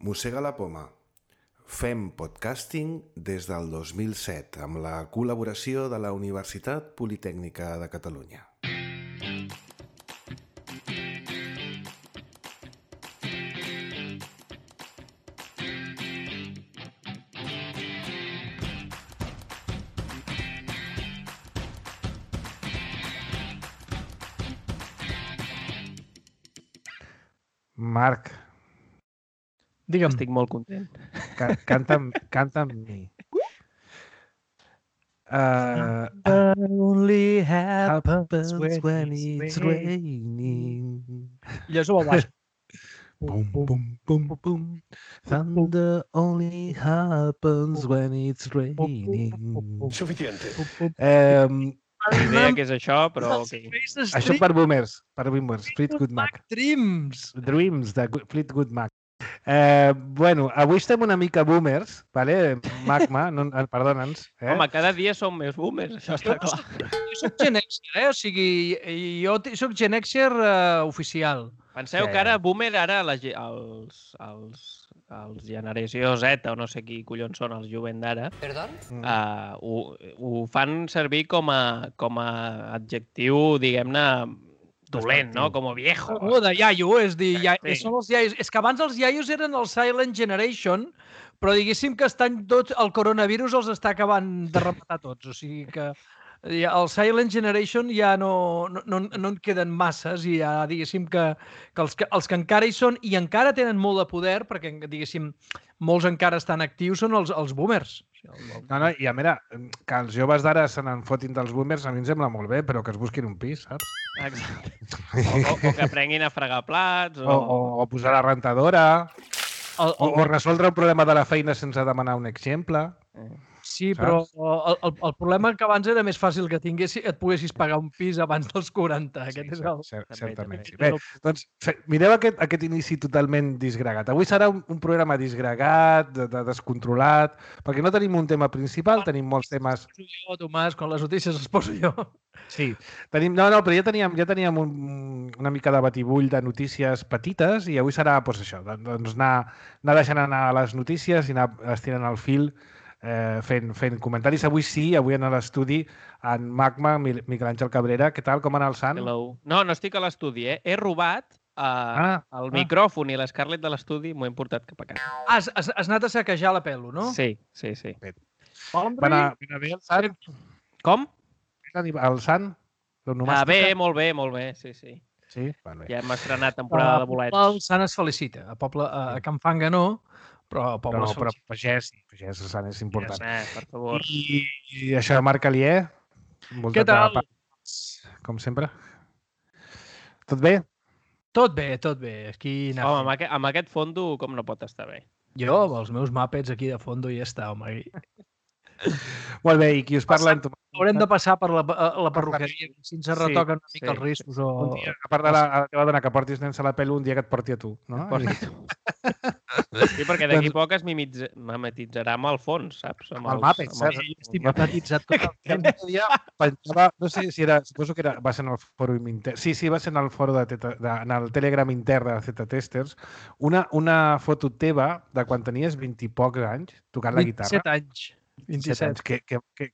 Mossega la poma. Fem podcasting des del 2007 amb la col·laboració de la Universitat Politècnica de Catalunya. Marc, digue'm. Estic molt content. Canta amb mi. Only happens when it's raining. Llegeixo al baix. Bum, bum, bum, bum. Thunder only happens when it's raining. Suficiente. Ni idea què és això, però... ok. Això per boomers, Fleetwood Mac. Dreams. Dreams, de Fleetwood Mac. Bueno, avui estem una mica boomers, vale? Magma, perdona'ns. Home, cada dia som més boomers, això està clar. Jo soc Gen Xer, o sigui, jo soc Gen Xer oficial. Penseu que ara boomer, ara els generació Z, o no sé qui collons són els jovent d'ara, ho fan servir com a adjectiu, diguem-ne, dolent, no? Com a viejo. De iaio, és dir, Sí. són els iaios. És que abans els iaios eren el Silent Generation, però diguéssim que estan tots, el coronavirus els està acabant de rematar tots. O sigui que el Silent Generation ja no en queden masses i ja diguéssim que els que encara hi són i encara tenen molt de poder, perquè diguéssim molts encara estan actius, són els boomers. No, i a veure, que els joves d'ara se n'enfotin dels boomers a mi em sembla molt bé, però que es busquin un pis, saps? Exacte. O que aprenguin a fregar plats. O posar la rentadora, o resoldre un problema de la feina sense demanar un exemple. Sí, però el problema que abans era més fàcil que et poguessis pagar un pis abans dels 40. Aquest és el... Certament. Bé, doncs mireu aquest inici totalment disgregat. Avui serà un programa disgregat, descontrolat, perquè no tenim un tema principal, tenim molts temes... Jo, Tomàs, quan les notícies les poso jo. Sí, però ja teníem una mica de batibull de notícies petites i avui serà això, doncs anar deixant anar les notícies i anar estirant el fil fent comentaris. Avui en l'estudi en Magma, Miquel Àngel Cabrera. Què tal? Com ha anat el sant? Hello. No estic a l'estudi, eh? He robat el micròfon i l'Scarlett de l'estudi, m'ho he portat cap a casa. Has anat a saquejar la pelo, no? Sí. Va anar bé el sant? Com? El sant? Bé, molt bé, sí. Sí? Vale. Ja hem estrenat temporada de bolets. El sant es felicita. A Can Fanga no, però a poble però pagès, el sant és important. Per favor. I això de Marc Alier? Què tal? Com sempre. Tot bé? Tot bé. Aquí home, amb aquest fondo com no pot estar bé? Jo, amb els meus mapets aquí de fondo ja està, home. Molt bé, i qui us parla? Haurem de passar per la perruqueria si ens retoquen una mica els riscos. Un dia, a part de la teva dona que portis nens a la pelo, un dia que et porti a tu, no? Sí, perquè d'aquí poc es mimetitzarà amb el fons, saps? Amb el Muppet, saps? Estic mimetitzat tot el temps. No sé si era, suposo que va ser en el fòrum intern. Sí, va ser en el fòrum en el Telegram intern de Z-Testers, una foto teva de quan tenies 20 i pocs anys tocant la guitarra. 27 anys. 27 anys.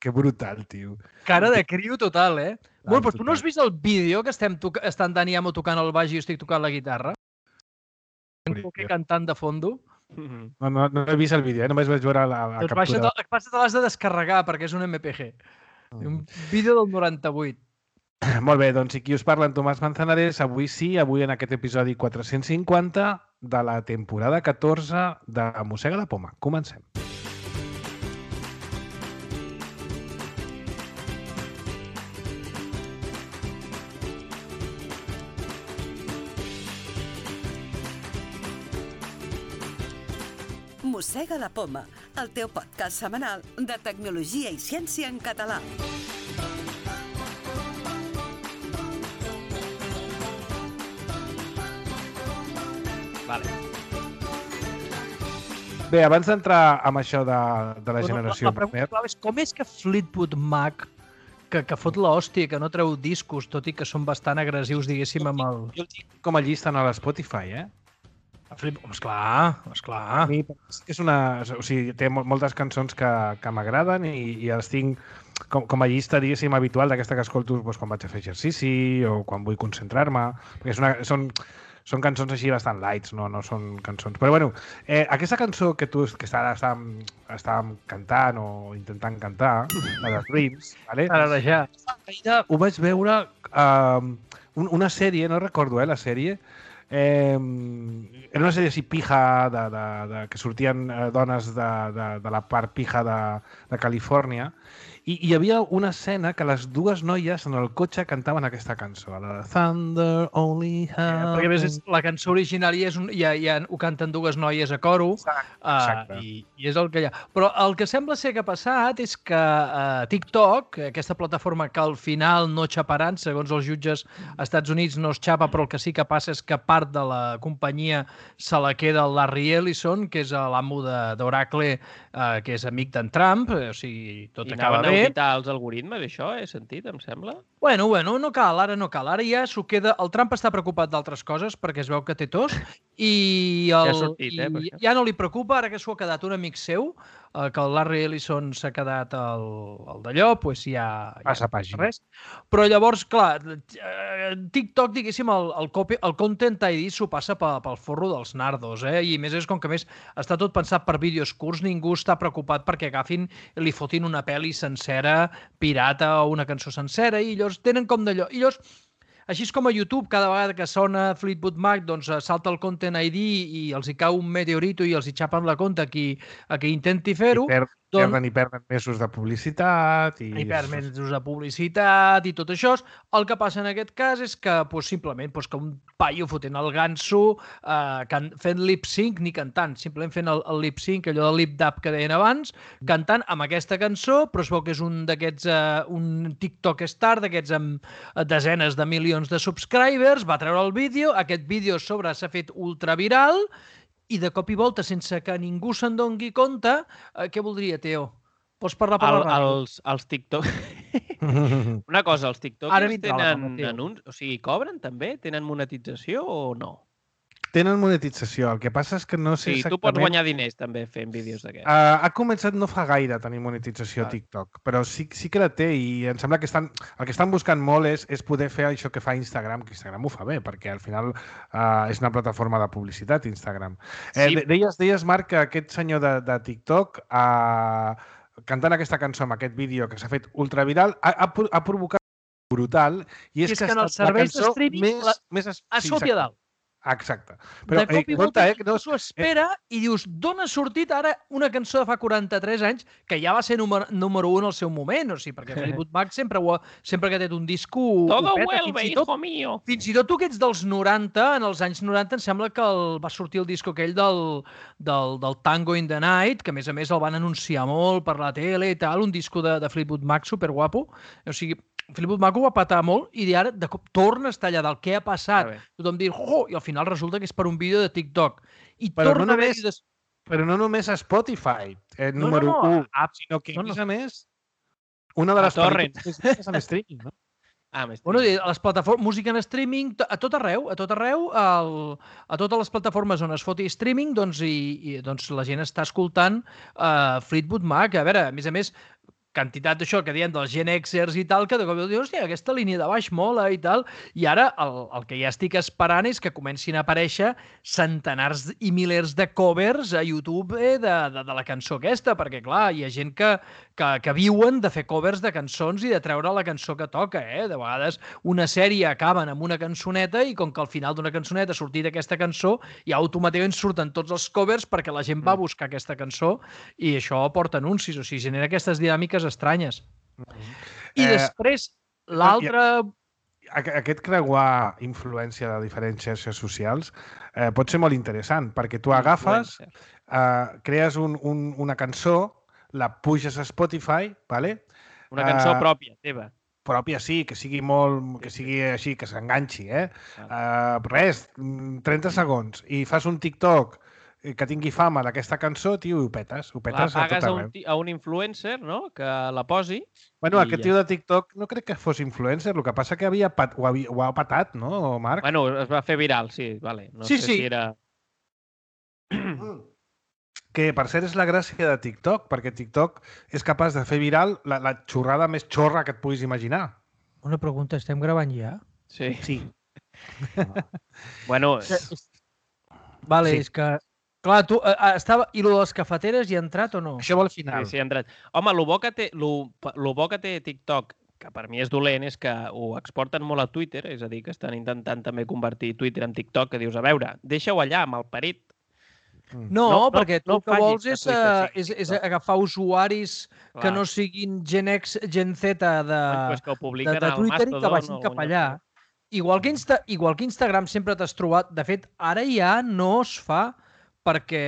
Que brutal, tio. Cara de criu total, eh? Bueno, però tu no has vist el vídeo que estan Dani Amo tocant el baix i jo estic tocant la guitarra? Cantant de fondo? No he vist el vídeo, només vaig veure la captura. Te l'has de descarregar perquè és un MPG. Un vídeo del 98. Molt bé, doncs i qui us parla en Tomàs Manzanares, avui en aquest episodi 450 de la temporada 14 de Mossega la poma. Comencem. Mossega la poma, el teu podcast setmanal de tecnologia i ciència en català. Vale. Bé, abans d'entrar amb això de la generació... La pregunta clau és com és que Fleetwood Mac, que fot l'hòstia, que no treu discos, tot i que són bastant agressius, diguéssim, amb el... Jo el tinc com a llista a l'Spotify, eh? Esclar. A mi és una... O sigui, té moltes cançons que m'agraden i les tinc com a llista, diguéssim, habitual d'aquesta que escolto quan vaig a fer exercici o quan vull concentrar-me, perquè són cançons així bastant lights, no són cançons... Però bueno, aquesta cançó que estàvem cantant o intentant cantar, la de Dreams, ¿vale? Ho vaig veure una sèrie, no recordo la sèrie, era una sèrie així pija que sortien dones de la part pija de Califòrnia i hi havia una escena que les dues noies en el cotxe cantaven aquesta cançó, la de Thunder Only Happens... Perquè a més la cançó original ho canten dues noies a coro. Exacte. I és el que hi ha. Però el que sembla ser que ha passat és que TikTok, aquesta plataforma que al final no xaparan, segons els jutges als Estats Units no es xapa, però el que sí que passa és que part de la companyia se la queda el Larry Ellison, que és l'amo d'Oracle, que és amic d'en Trump, o sigui, tot acaba bé. I anaven a auditar els algoritmes, això, he sentit, em sembla? Bueno, no cal, ara no cal. Ara ja s'ho queda... El Trump està preocupat d'altres coses perquè es veu que té tos i ja no li preocupa, ara que s'ho ha quedat un amic seu, que el Larry Ellison s'ha quedat el d'allò, doncs ja... Passa pàgina. Res. Però llavors, clar, TikTok, diguéssim, el Content ID s'ho passa pel forro dels nardos, i a més és com que més està tot pensat per vídeos curts, ningú està preocupat perquè agafin i li fotin una pel·li sencera, pirata o una cançó sencera, i llavors tenen com d'allò. I llavors, així és com a YouTube, cada vegada que sona Fleetwood Mac, doncs salta el Content ID i els hi cau un meteorito i els hi xapen la compte a qui intenti fer-ho. Perden mesos de publicitat. I perden mesos de publicitat i tot això. El que passa en aquest cas és que simplement que un paio fotent el ganso, fent lip-sync, ni cantant, simplement fent el lip-sync, allò del lip-dub que deien abans, cantant amb aquesta cançó, però es veu que és un d'aquests, un TikTok star, d'aquests amb desenes de milions de subscribers, va treure el vídeo, aquest vídeo a sobre s'ha fet ultraviral, i de cop i volta, sense que ningú se'n doni compte, què voldria, Teo? Pots parlar per la ràdio? Els TikTok... Una cosa, els TikTokers tenen anuncis? O sigui, cobren també? Tenen monetització o no? Tenen monetització. El que passa és que no sé exactament... Tu pots guanyar diners també fent vídeos d'aquests. Ha començat no fa gaire a tenir monetització TikTok, però sí que la té i em sembla que el que estan buscant molt és poder fer això que fa Instagram, que Instagram ho fa bé, perquè al final és una plataforma de publicitat, Instagram. Deies, Marc, que aquest senyor de TikTok, cantant aquesta cançó amb aquest vídeo que s'ha fet ultraviral, ha provocat brutal, i és que en els serveis de streaming a sota i a dalt. Exacte. Però, de cop i volta s'ho espera i dius, d'on ha sortit ara una cançó de fa 43 anys que ja va ser número 1 al seu moment? O sigui, perquè Fleetwood Mac sempre que té un disco... Todo vuelve, hijo mío! Fins i tot tu que ets dels 90, en els anys 90 em sembla que va sortir el disco aquell del Tango in the Night, que a més el van anunciar molt per la tele i tal, un disco de Fleetwood Mac superguapo. O sigui, Fleetwood Mac ho va patar molt i ara de cop torna a estar allà del què ha passat. Tothom diu, i al final resulta que és per un vídeo de TikTok. Però no només a Spotify, número 1, sinó que, a més, una de les pel·lícules és en streaming, no? Bueno, a les plataformes, música en streaming, a tot arreu, a totes les plataformes on es foti streaming, doncs la gent està escoltant Fleetwood Mac. A veure, a més, quantitat d'això que diem dels Gen Xers i tal, que de cop dius, hòstia, aquesta línia de baix mola i tal, i ara el que ja estic esperant és que comencin a aparèixer centenars i milers de covers a YouTube de la cançó aquesta, perquè clar, hi ha gent que viuen de fer covers de cançons i de treure la cançó que toca, De vegades una sèrie acaben amb una cançoneta i com que al final d'una cançoneta ha sortit aquesta cançó, ja automàticament surten tots els covers perquè la gent va buscar aquesta cançó i això porta anuncis, o sigui, genera aquestes dinàmiques estranyes. I després, l'altre... Aquest creuar influència de diferents xarxes socials pot ser molt interessant, perquè tu agafes, crees una cançó, la puges a Spotify, ¿vale? Una cançó pròpia, teva. Pròpia, sí, que sigui molt... que sigui així, que s'enganxi, res, 30 segons, i fas un TikTok que tingui fama d'aquesta cançó, tio, i ho petes. La pagues a un influencer, no?, que la posi. Bueno, aquest tio de TikTok no crec que fos influencer, el que passa que ho ha patat, no, Marc? Bueno, es va fer viral, sí, vale. No sé si era... Que, per cert, és la gràcia de TikTok, perquè TikTok és capaç de fer viral la xorrada més xorra que et puguis imaginar. Una pregunta, estem gravant ja? Sí. Bueno... Vale, Sí. és que... Clar, tu... I lo de les cafeteres hi ha entrat o no? Això vol final. Sí, ha entrat. Home, el bo que té TikTok, que per mi és dolent, és que ho exporten molt a Twitter, és a dir, que estan intentant també convertir Twitter en TikTok, que dius, a veure, deixa-ho allà, malparit. No, perquè tu el que vols facis és agafar usuaris que no siguin Gen X, Gen Z de Twitter i que vagin cap allà. Igual que Instagram sempre t'has trobat... De fet, ara ja no es fa perquè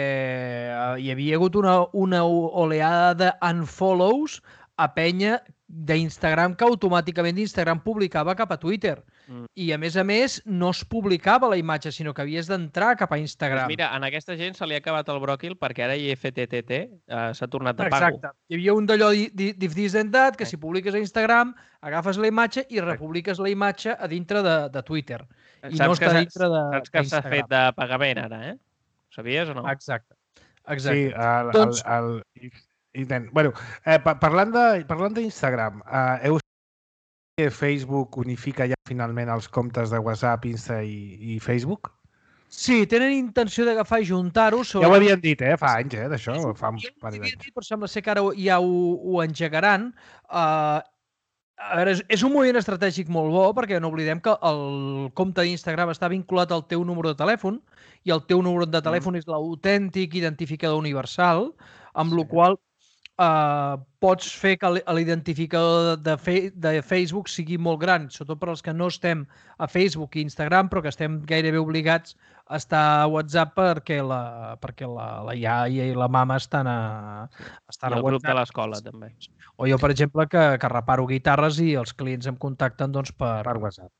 hi havia hagut una oleada d'unfollows a penya d'Instagram que automàticament d'Instagram publicava cap a Twitter. I, a més, no es publicava la imatge, sinó que havies d'entrar cap a Instagram. Pues mira, en aquesta gent se li ha acabat el bròquil perquè ara IFTTT s'ha tornat a pago. Exacte. Hi havia un d'allò d'If This Then That, que si publiques a Instagram, agafes la imatge i republiques la imatge a dintre de Twitter. I no està dintre d'Instagram. Saps que s'ha fet de pagament ara, eh? Ho sabies o no? Exacte. Sí, bueno, parlant d'Instagram, heu vist que Facebook unifica ja finalment els comptes de WhatsApp, Insta i Facebook? Sí, tenen intenció d'agafar i juntar-ho. Ja ho havien dit, fa anys, d'això. Fa un parell d'anys. Però sembla ser que ara ja ho engegaran. A veure, és un moviment estratègic molt bo, perquè no oblidem que el compte d'Instagram està vinculat al teu número de telèfon i el teu número de telèfon és l'autèntic identificador universal, amb la qual pots fer que l'identificador de Facebook sigui molt gran, sobretot per als que no estem a Facebook i Instagram, però que estem gairebé obligats a estar a WhatsApp perquè la iaia i la mama estan a WhatsApp. I el grup de l'escola, també. O jo, per exemple, que reparo guitarres i els clients em contacten per WhatsApp.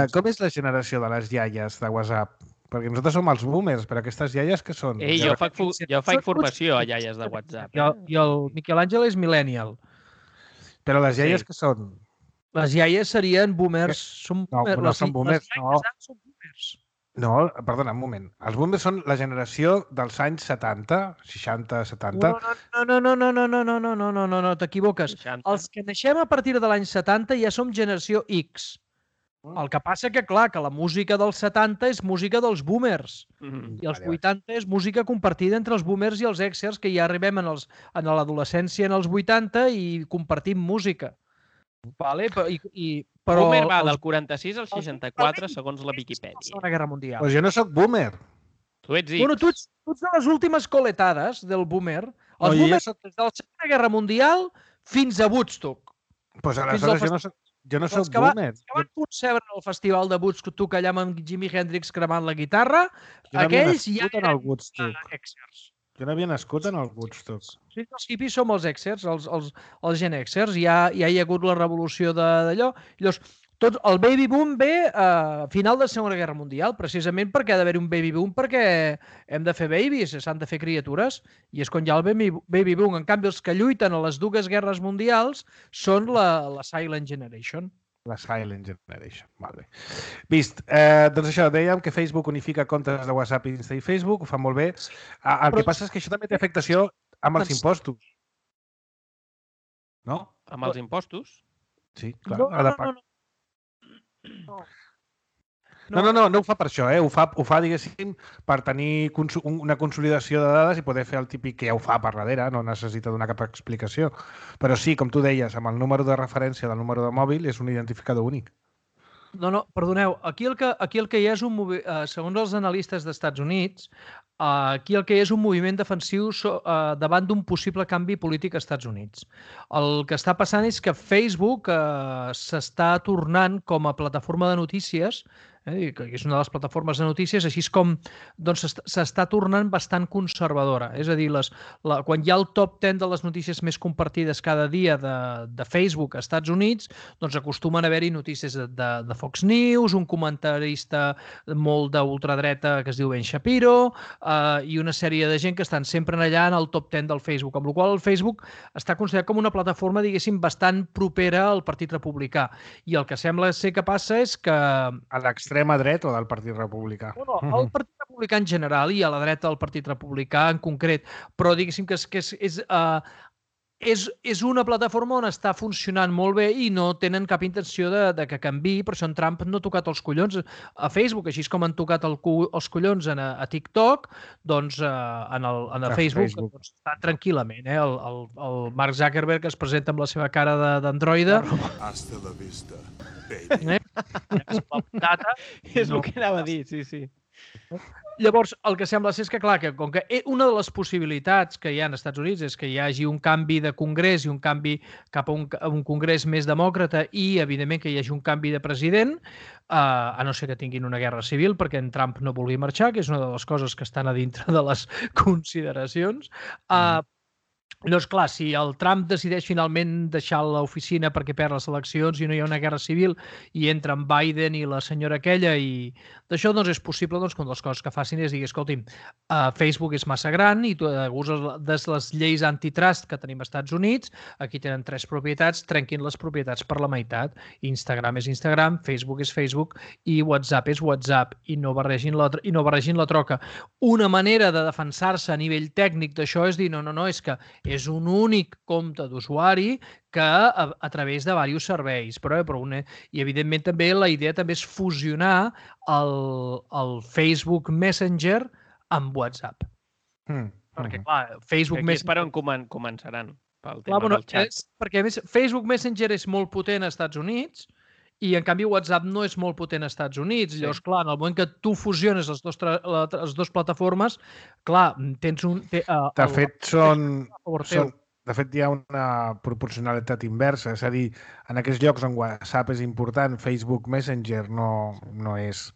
Com és la generació de les iaies de WhatsApp? Perquè nosaltres som els boomers, però aquestes iaies què són? Ei, jo faig formació a iaies de WhatsApp. I el Miquel Àngel és millennial. Però les iaies què són? Les iaies serien boomers. No són boomers, no. No, perdona, un moment. Els boomers són la generació dels anys 70, 60, 70... No, t'equivoques. Els que naixem a partir de l'any 70 ja som generació X. El que passa que, clar, que la música dels 70 és música dels boomers i els 80 és música compartida entre els boomers i els Xers, que ja arribem a l'adolescència en els 80 i compartim música. Boomer va del 46 al 64, segons la Viquipèdia. Segona Guerra Mundial. Doncs jo no sóc boomer. Tu ets X. Bueno, tu ets de les últimes coletades del boomer. Els boomers des de la Segona Guerra Mundial fins a Woodstock. Doncs aleshores jo no soc boomer. Els que van concebre el festival de Woodstock allà amb Jimi Hendrix cremant la guitarra, aquells ja eren Xers. Jo no havia nascut en el Woodstock. Sí, els hippies som els Xers, els Gen Xers. Ja hi ha hagut la revolució d'allò. Llavors, el baby boom ve a final de la Segona Guerra Mundial, precisament perquè ha d'haver un baby boom perquè hem de fer babies, s'han de fer criatures, i és quan hi ha el baby boom. En canvi, els que lluiten a les dues guerres mundials són la Silent Generation. La Silent Generation, molt bé. Vist, doncs això, dèiem que Facebook unifica comptes de WhatsApp, Insta i Facebook, ho fa molt bé. El que passa és que això també té afectació amb els impostos. No? Amb els impostos? Sí, clar. No ho fa per això, ho fa, diguéssim, per tenir una consolidació de dades i poder fer el típic que ja ho fa per darrere, no necessita donar cap explicació. Però sí, com tu deies, amb el número de referència del número de mòbil és un identificador únic. No, perdoneu, aquí el que hi ha és un moviment, segons els analistes dels Estats Units, aquí el que hi ha és un moviment defensiu davant d'un possible canvi polític als Estats Units. El que està passant és que Facebook s'està tornant com a plataforma de notícies, que és una de les plataformes de notícies, així com s'està tornant bastant conservadora. És a dir, quan hi ha el top 10 de les notícies més compartides cada dia de Facebook als Estats Units, doncs acostumen a haver-hi notícies de Fox News, un comentarista molt d'ultradreta que es diu Ben Shapiro, i una sèrie de gent que estan sempre allà en el top 10 del Facebook, amb la qual el Facebook està considerat com una plataforma, diguéssim, bastant propera al Partit Republicà. I el que sembla ser que passa és que... A l'extrema dreta o del Partit Republicà? No, el Partit Republicà en general i a la dreta del Partit Republicà en concret, però diguéssim que és una plataforma on està funcionant molt bé i no tenen cap intenció de que canviï, per això en Trump no ha tocat els collons a Facebook, així com han tocat els collons a TikTok, doncs a Facebook. Doncs, està tranquil·lament. El Mark Zuckerberg es presenta amb la seva cara d'androide. Hasta la vista, baby. És el que anava a dir, sí. Llavors, el que sembla ser és que, clar, que com que una de les possibilitats que hi ha als Estats Units és que hi hagi un canvi de congrés i un canvi cap a un congrés més demòcrata i, evidentment, que hi hagi un canvi de president, a no ser que tinguin una guerra civil perquè en Trump no vulgui marxar, que és una de les coses que estan a dintre de les consideracions. Llavors, clar, si el Trump decideix finalment deixar l'oficina perquè perd les eleccions i no hi ha una guerra civil i entra en Biden i la senyora aquella i d'això, doncs és possible que una de les coses que facin és dir, escolti'm, Facebook és massa gran i tu uses les lleis antitrust que tenim als Estats Units, aquí tenen 3 propietats, trenquin les propietats per la meitat. Instagram és Instagram, Facebook és Facebook i WhatsApp és WhatsApp i no barregin la troca. Una manera de defensar-se a nivell tècnic d'això és dir, no, és que és un únic compte d'usuari que a través de diversos serveis. I, evidentment, també la idea també és fusionar el Facebook Messenger amb WhatsApp. Perquè, clar, Facebook Messenger... Aquí és per on començaran, pel tema del xat. Perquè, a més, Facebook Messenger és molt potent als Estats Units i, en canvi, WhatsApp no és molt potent als Estats Units. Llavors, clar, en el moment que tu fusiones les dues plataformes, clar, tens un... De fet, hi ha una proporcionalitat inversa. És a dir, en aquells llocs on WhatsApp és important, Facebook Messenger no és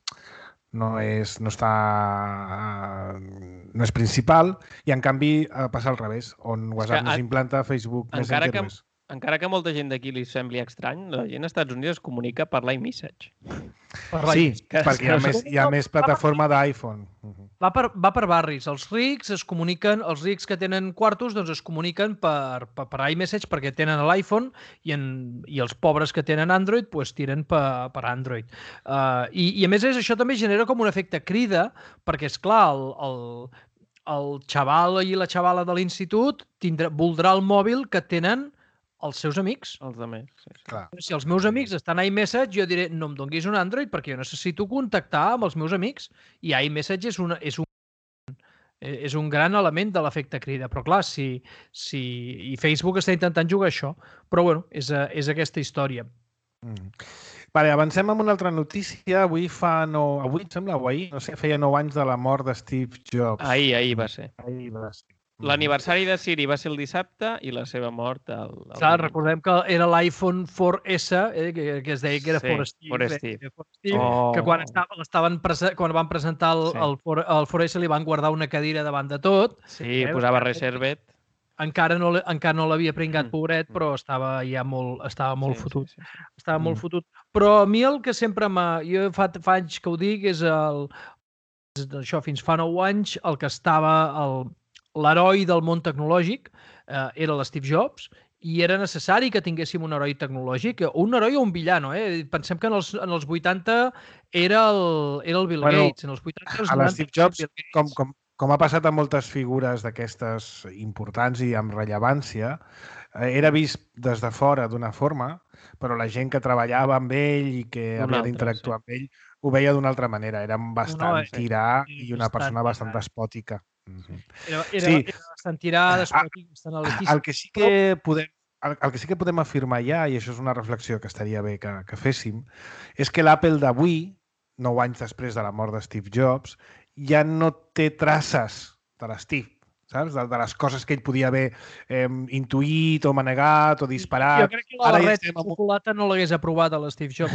principal i, en canvi, passa al revés. On WhatsApp no s'implanta, Facebook Messenger no és. Encara que molta gent d'aquí li sembli estrany, la gent als Estats Units es comunica per l'iMessage. Sí, perquè hi ha més plataforma d'iPhone. Va per barris. Els rics que tenen quartos doncs es comuniquen per iMessage perquè tenen l'iPhone i els pobres que tenen Android doncs tiren per Android. I a més això també genera com un efecte crida perquè, esclar, el xaval i la xavala de l'institut voldrà el mòbil que tenen els seus amics. Els amics, sí. Si els meus amics estan a iMessage, jo diré, no em donguis un Android perquè jo necessito contactar amb els meus amics. I iMessage és un gran element de l'efecte crida. Però, clar, i Facebook està intentant jugar això. Però, bueno, és aquesta història. Vale, avancem amb una altra notícia. Avui em sembla, o ahir, no sé, feia 9 anys de la mort de Steve Jobs. Ahir va ser. L'aniversari de Siri va ser el dissabte i la seva mort el... Clar, recordem que era l'iPhone 4S, que es deia que era For Steve. Que quan van presentar el 4S li van guardar una cadira davant de tot. Sí, posava Reservet. Encara no l'havia pringat, pobret, però estava molt fotut. Estava molt fotut. Però a mi el que sempre jo fa anys que ho dic és això, fins fa 9 anys, el que estava l'heroi del món tecnològic era l'Steve Jobs i era necessari que tinguéssim un heroi tecnològic, un heroi o un villano. Pensem que en els 80 era el Bill Gates. En els 80 a l'Steve Jobs, com ha passat amb moltes figures d'aquestes importants i amb rellevància, era vist des de fora d'una forma, però la gent que treballava amb ell i que havia d'interactuar amb ell ho veia d'una altra manera. Era bastant tirà i una persona bastant despòtica. Era bastant tirà, despòtic, bastant elitisme. El que sí que podem afirmar ja, i això és una reflexió que estaria bé que féssim, és que l'Apple d'avui, 9 anys després de la mort de Steve Jobs, ja no té traces de l'Steve, saps? De les coses que ell podia haver intuït o manegat o disparat. Jo crec que la barreta de xocolata no l'hagués aprovat a l'Steve Jobs.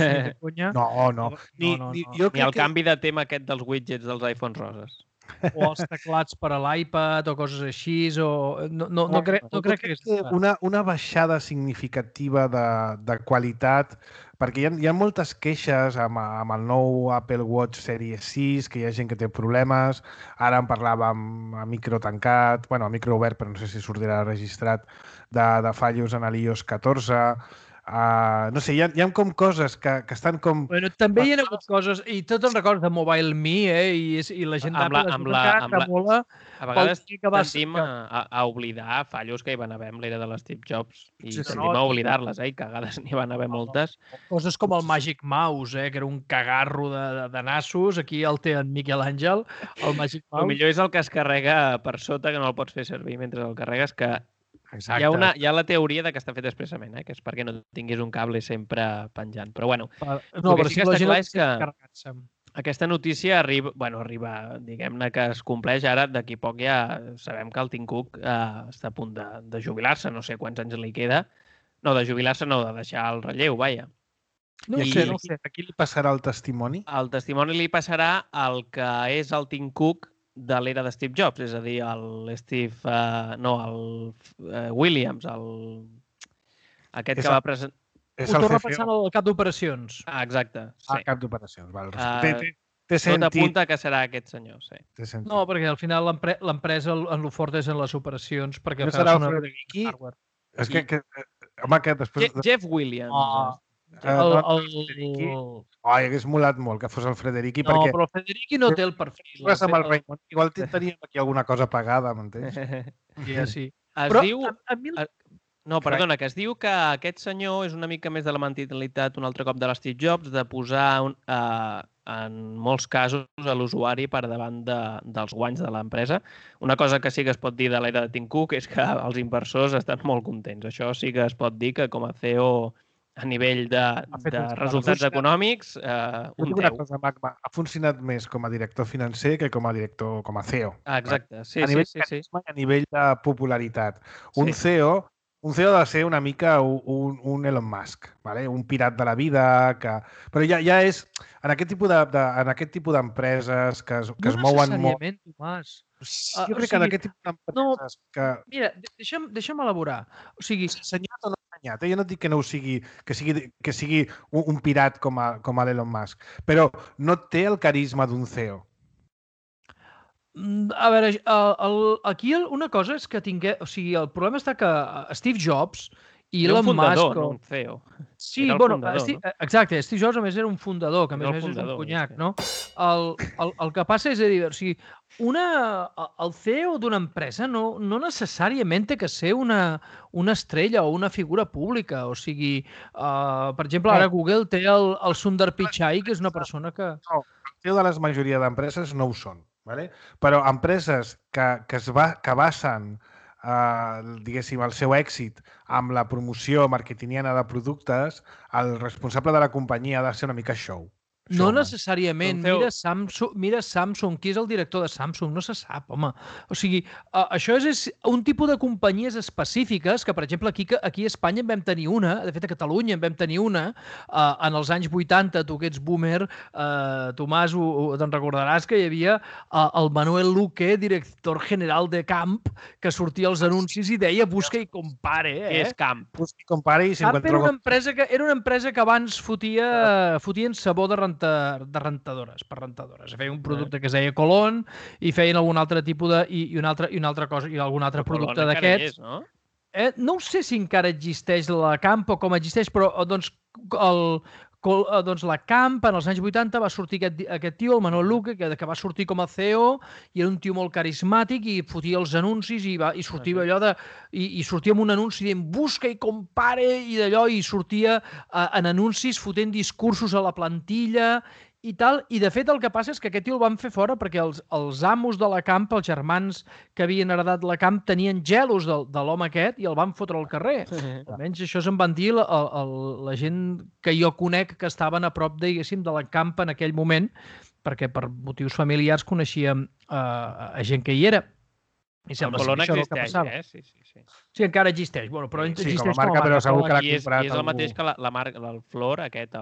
No. Ni el canvi de tema aquest dels widgets dels iPhones roses. O els teclats per a l'iPad o coses així. No crec que... Una baixada significativa de qualitat, perquè hi ha moltes queixes amb el nou Apple Watch Series 6, que hi ha gent que té problemes. Ara en parlàvem a micro tancat, a micro obert, però no sé si sortirà registrat, de fallos en l'iOS 14. No sé, hi ha com coses que estan com... Bueno, també hi ha hagut coses, i tu te'n recordes de Mobile Me, i la gent d'Apple tremola. A vegades tendim a oblidar fallos que hi van haver amb l'era de l'Steve Jobs i tendim a oblidar-les, i cagades n'hi van haver moltes. Coses com el Magic Mouse, que era un cagarro de nassos, aquí el té en Miquel Àngel, el Magic Mouse. El millor és el que es carrega per sota, que no el pots fer servir mentre el carregues, que hi ha la teoria de que està fet expressament, que és perquè no tinguis un cable sempre penjant. Però bueno, el que sí que està clar és que aquesta notícia arriba, diguem-ne que es compleix ara, d'aquí poc ja sabem que el Tim Cook està a punt de jubilar-se, no sé quants anys li queda. No, de jubilar-se no, de deixar el relleu, vaja. No sé. A qui li passarà el testimoni? El testimoni li passarà al que és el Tim Cook de l'era de Steve Jobs, és a dir, el Williams, aquest que va presentar... Ho torna passant al cap d'operacions. Exacte, sí. Al cap d'operacions, val. Tot apunta que serà aquest senyor, sí. No, perquè al final l'empresa en lo fort és en les operacions, perquè... No serà el Frederici? És que... Home, que després... Jeff Williams. Hagués molat molt que fos el Frederici, perquè... No, però el Frederici no té el perfil. Amb el Raymond. Igual teníem aquí alguna cosa pagada, m'entens? Ja, sí. Es diu... No, perdona, que es diu que aquest senyor és una mica més de la mentalitat un altre cop de l'Steve Jobs, de posar en molts casos a l'usuari per davant dels guanys de l'empresa. Una cosa que sí que es pot dir de l'era de Tim Cook és que els inversors estan molt contents. Això sí que es pot dir que com a CEO a nivell de resultats econòmics, un 10. Ha funcionat més com a director financer que com a CEO. Exacte, sí. A nivell de carisma i a nivell de popularitat. Un CEO ha de ser una mica un Elon Musk, un pirat de la vida, però ja és en aquest tipus d'empreses que es mouen molt... No necessàriament, Tomàs. Jo crec que en aquest tipus d'empreses que... Mira, deixa'm elaborar. O sigui... Senyat o no senyat, jo no dic que no ho sigui, que sigui un pirat com a l'Elon Musk, però no té el carisma d'un CEO. A veure, aquí una cosa és que o sigui, el problema està que Steve Jobs i Elon Musk... Era un fundador, no un CEO. Sí, bueno, exacte, Steve Jobs a més era un fundador, que a més és un conyac, no? El que passa és a dir, o sigui, el CEO d'una empresa no necessàriament té que ser una estrella o una figura pública, o sigui, per exemple, ara Google té el Sundar Pichai, que és una persona que... No, el CEO de la majoria d'empreses no ho són. Però empreses que basen diguéssim, el seu èxit amb la promoció marketingiana de productes, el responsable de la companyia ha de ser una mica show. No necessàriament. Mira Samsung. Qui és el director de Samsung? No se sap, home. O sigui, això és un tipus de companyies específiques que, per exemple, aquí a Espanya en vam tenir una, de fet a Catalunya en vam tenir una, en els anys 80, tu que ets boomer, Tomàs, te'n recordaràs que hi havia el Manuel Luque, director general de Camp, que sortia als anuncis i deia busca i compare. Què és Camp? Busca i compare i Camp era una empresa que abans fotien sabó de rentadores, per rentadores. Feien un producte que es deia Colón i feien algun altre tipus i una altra cosa, i algun altre producte d'aquests. No sé si encara existeix la Camp o com existeix, però doncs la Camp en els anys 80 va sortir aquest tio, el Manuel Luque, que va sortir com a CEO i era un tio molt carismàtic i fotia els anuncis i sortia allò i sortia amb un anunci dient busca i compare i d'allò i sortia en anuncis fotent discursos a la plantilla i tal, i de fet el que passa és que aquest tio el van fer fora perquè els amos de la Camp, els germans que havien heredat la Camp, tenien gelos de l'home aquest i el van fotre al carrer. Almenys això se'n van dir la gent que jo conec que estaven a prop, diguéssim, de la Camp en aquell moment, perquè per motius familiars coneixíem a gent que hi era. I sembla que això és el que passava. Sí, encara existeix. Bueno, però existeix com a marca, però segur que l'ha comprat. I és el mateix que la marca, el Flor, aquest,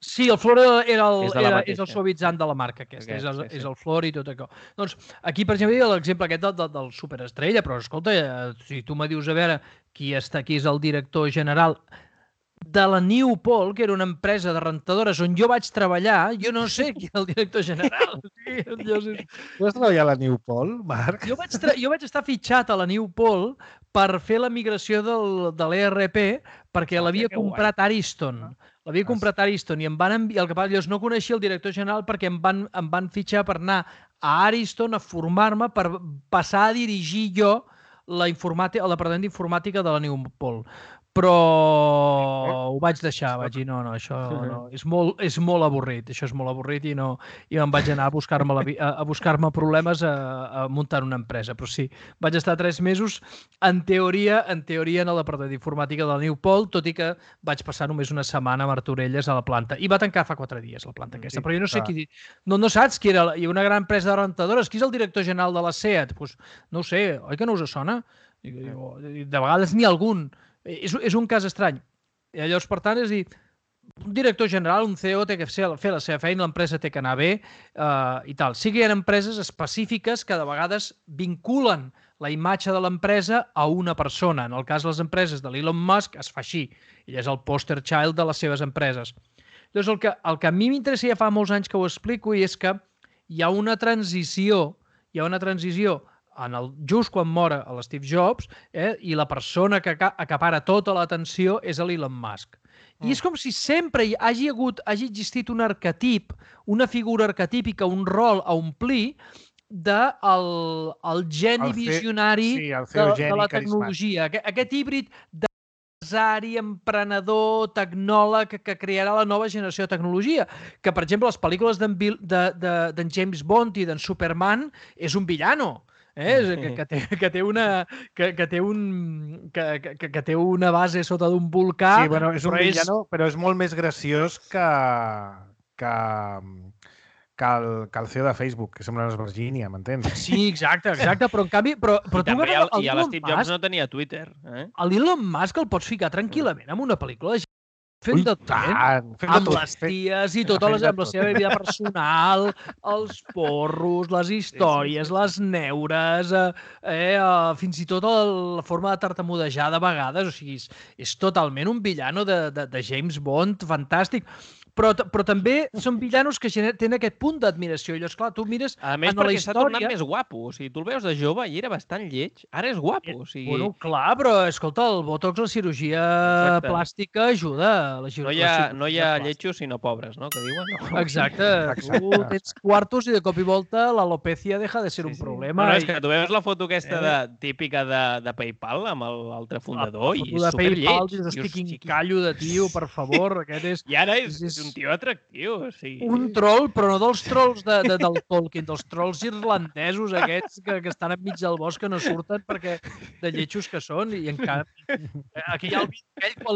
Sí, el Flor és el suavitzant de la marca aquesta, és el Flor i tot això. Doncs aquí, per exemple, hi ha l'exemple aquest del superestrella, però escolta, si tu me dius a veure qui és el director general, de la Newpol, que era una empresa de rentadores on jo vaig treballar, jo no sé qui era el director general. Tu vas treballar a la Newpol, Marc? Jo vaig estar fitxat a la Newpol per fer la migració de l'ERP perquè l'havia comprat Ariston. L'havia comprat Ariston i em van enviar... El que passa, no coneixia el director general perquè em van fitxar per anar a Ariston a formar-me per passar a dirigir jo el departament d'informàtica de la Newpol. Però ho vaig deixar, vaig dir, no, això no, és molt avorrit, això és molt avorrit i me'n vaig anar a buscar-me problemes a muntar una empresa. Però sí, vaig estar 3 mesos, en teoria en el departament d'informàtica de la Newpol, tot i que vaig passar només una setmana a Martorelles a la planta. I va tancar fa 4 dies, la planta aquesta. Però jo no sé qui... No saps qui era? Hi ha una gran empresa de rentadores. Qui és el director general de la SEAT? Doncs no ho sé, oi que no us sona? De vegades n'hi ha algun. És un cas estrany. I llavors, per tant, és dir, un director general, un CEO, té que fer la seva feina, l'empresa té que anar bé i tal. Sí que hi ha empreses específiques que de vegades vinculen la imatge de l'empresa a una persona. En el cas de les empreses de l'Elon Musk es fa així. Ell és el poster child de les seves empreses. Llavors, el que a mi m'interessa ja fa molts anys que ho explico i és que hi ha una transició just quan mora l'Steve Jobs i la persona que acapara tota l'atenció és l'Elon Musk. I és com si sempre hagi existit un arquetip, una figura arquetípica, un rol a omplir del geni visionari de la tecnologia. Aquest híbrid d'empresari, emprenedor, tecnòleg que crearà la nova generació de tecnologia. Que, per exemple, les pel·lícules d'en James Bond i d'en Superman és un villano. Que té una base sota d'un volcà. Sí, bueno, és un villano, però és molt més graciós que el CEO de Facebook, que sembla una Virgínia, m'entens? Sí, exacte, però en canvi... I a l'Steve Jobs no tenia Twitter. L'Elon Musk el pots ficar tranquil·lament en una pel·lícula de fent de tot, amb les ties i tota la seva vida personal, els porros, les històries, les neures, fins i tot la forma de tartamudejar de vegades. O sigui, és totalment un villano de James Bond fantàstic. Però també són villanos que tenen aquest punt d'admiració. Llavors, clar, tu mires a més, perquè s'ha tornat més guapo. O sigui, tu el veus de jove i era bastant lleig. Ara és guapo. O sigui... Bueno, clar, però, escolta, el botox, la cirurgia plàstica ajuda. No hi ha lletjos, sinó pobres, no? Que diuen. Exacte. Tu tens quartos i de cop i volta l'alopecia deja de ser un problema. No, és que tu veus la foto aquesta típica de PayPal amb l'altre fundador i és superlleig. La foto de PayPal, estic incallo de tio, per favor. I ara és un tio atractiu, o sigui... Un troll, però no dels trolls del Tolkien, dels trolls irlandesos aquests que estan enmig del bosc que no surten perquè de lletjos que són i encara... Aquí hi ha el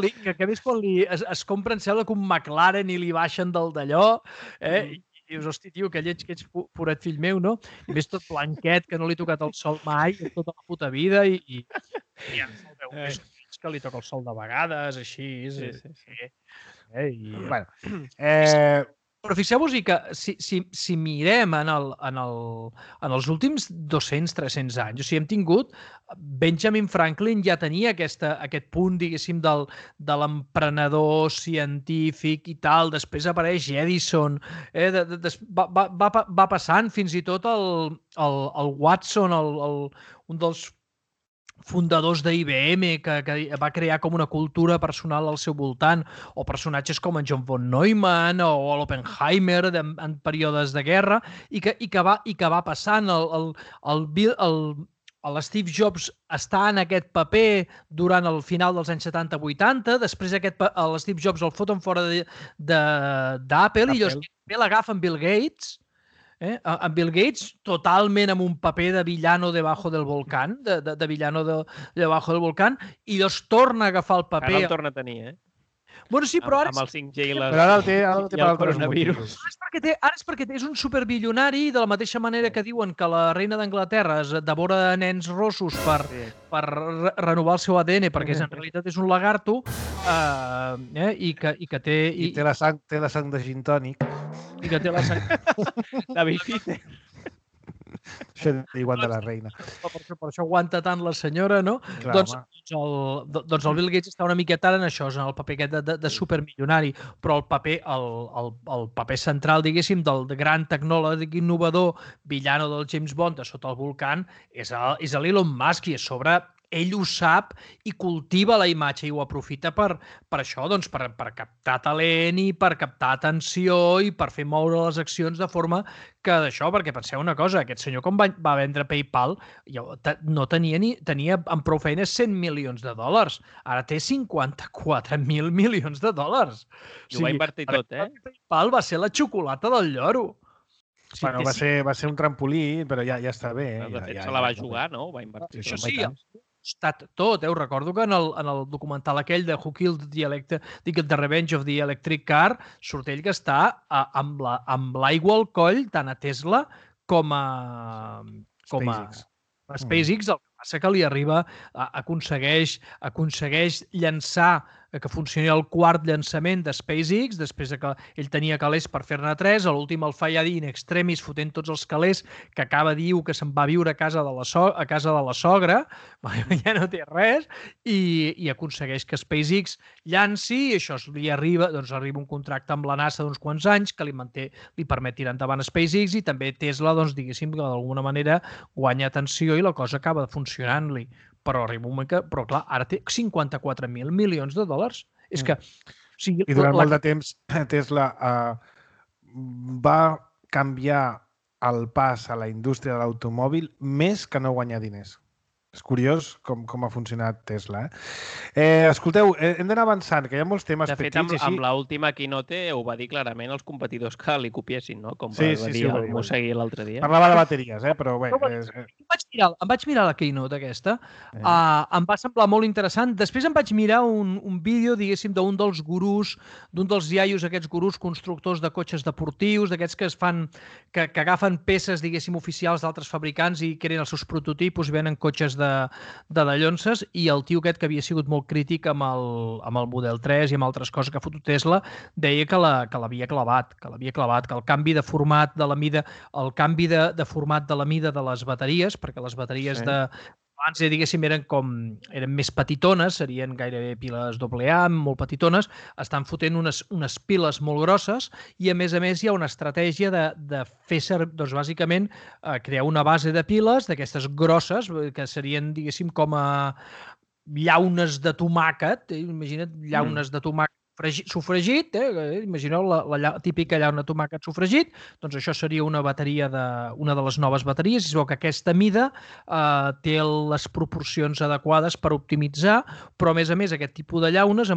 vídeo aquell quan es compren sembla que un McLaren i li baixen del d'allò i dius, hosti, tio, que lleig que ets forat fill meu, no? I ves tot blanquet, que no li ha tocat el sol mai tota la puta vida i ja ens el veu més que li toca el sol de vegades, així... Però fixeu-vos que si mirem en els últims 200-300 anys, o sigui, hem tingut Benjamin Franklin ja tenia aquest punt, diguéssim, de l'emprenedor científic i tal, després apareix Edison, va passant fins i tot el Watson, un dels fundadors d'IBM, que va crear com una cultura personal al seu voltant, o personatges com en John von Neumann o l'Oppenheimer en períodes de guerra, i que va passant. L'Steve Jobs està en aquest paper durant el final dels anys 70-80, després l'Steve Jobs el foten fora d'Apple i llavors l'agafen Bill Gates, en Bill Gates totalment amb un paper de villano debajo del volcán, de villano debajo del volcán, i llavors torna a agafar el paper... Ara el torna a tenir, Bueno, sí, però ara... Amb el 5G i el té el coronavirus. Ara és perquè és un superbilionari, de la mateixa manera que diuen que la reina d'Anglaterra es devora nens rossos per renovar el seu ADN, perquè en realitat és un lagarto, i que té... I té la sang de gin tònic. I que té la sang... De bifite. Això igual de la reina. Per això aguanta tant la senyora, no? Clar, doncs el Bill Gates està una miqueta en això, en el paper aquest de supermilionari, però el paper central, diguéssim, del gran tecnòleg innovador, villano del James Bond de sota el volcán, és l'Elon Musk, i a sobre ell ho sap i cultiva la imatge i ho aprofita per això, doncs, per captar talent i per captar atenció i per fer moure les accions de forma que d'això, perquè penseu una cosa, aquest senyor quan va vendre PayPal no tenia amb prou feines $100 milions, ara té $54.000 milions. I ho va invertir tot, PayPal va ser la xocolata del lloro. Bueno, va ser un trampolí, però ja està bé. De fet, se la va jugar, no? Va invertir. Això sí, estat tot. Ho recordo que en el documental aquell de Who Killed The Revenge of the Electric Car surt ell que està amb l'aigua al coll tant a Tesla com a SpaceX. El que passa que li arriba, aconsegueix llançar, que funcioni el quart llançament de SpaceX, després que ell tenia calés per fer-ne 3, a l'últim el fa ja dir in extremis, fotent tots els calés, que acaba diu que se'n va viure a casa de la sogra, ja no té res, i aconsegueix que SpaceX llanci, i això li arriba un contracte amb la NASA d'uns quants anys que li permet tirar endavant SpaceX, i també Tesla, doncs, diguéssim, que d'alguna manera guanya atenció i la cosa acaba funcionant-li. Però arriba un moment que... Però clar, ara té $54.000 milions. És que... I durant molt de temps Tesla va canviar el pas a la indústria de l'automòbil més que no guanyar diners. És curiós com ha funcionat Tesla. Escolteu, hem d'anar avançant, que hi ha molts temes petits. De fet, amb l'última keynote ho va dir clarament els competidors que li copiessin, no? Com va dir el Mosegui l'altre dia. Parlava de bateries, però bé... Em vaig mirar la keynote aquesta. Em va semblar molt interessant. Després em vaig mirar un vídeo, diguéssim, d'un dels gurús, d'un dels iaios, aquests gurús constructors de cotxes deportius, d'aquests que que agafen peces, diguéssim, oficials d'altres fabricants i creen els seus prototipus i venen cotxes de dallonses, i el tio aquest que havia sigut molt crític amb el Model 3 i amb altres coses que ha fotut Tesla, deia que l'havia clavat, que el canvi de format de la mida, de format de la mida de les bateries, perquè les bateries abans, diguéssim, eren més petitones, serien gairebé piles AA, molt petitones, estan fotent unes piles molt grosses, i a més hi ha una estratègia de fer servir, doncs bàsicament, crear una base de piles d'aquestes grosses, que serien, diguéssim, com a llaunes de tomàquet, imagina't llaunes de tomàquet sofregit, imagineu la típica llauna de tomàquet sofregit, doncs això seria una de les noves bateries, i es veu que aquesta mida té les proporcions adequades per optimitzar, però a més aquest tipus de llaunes,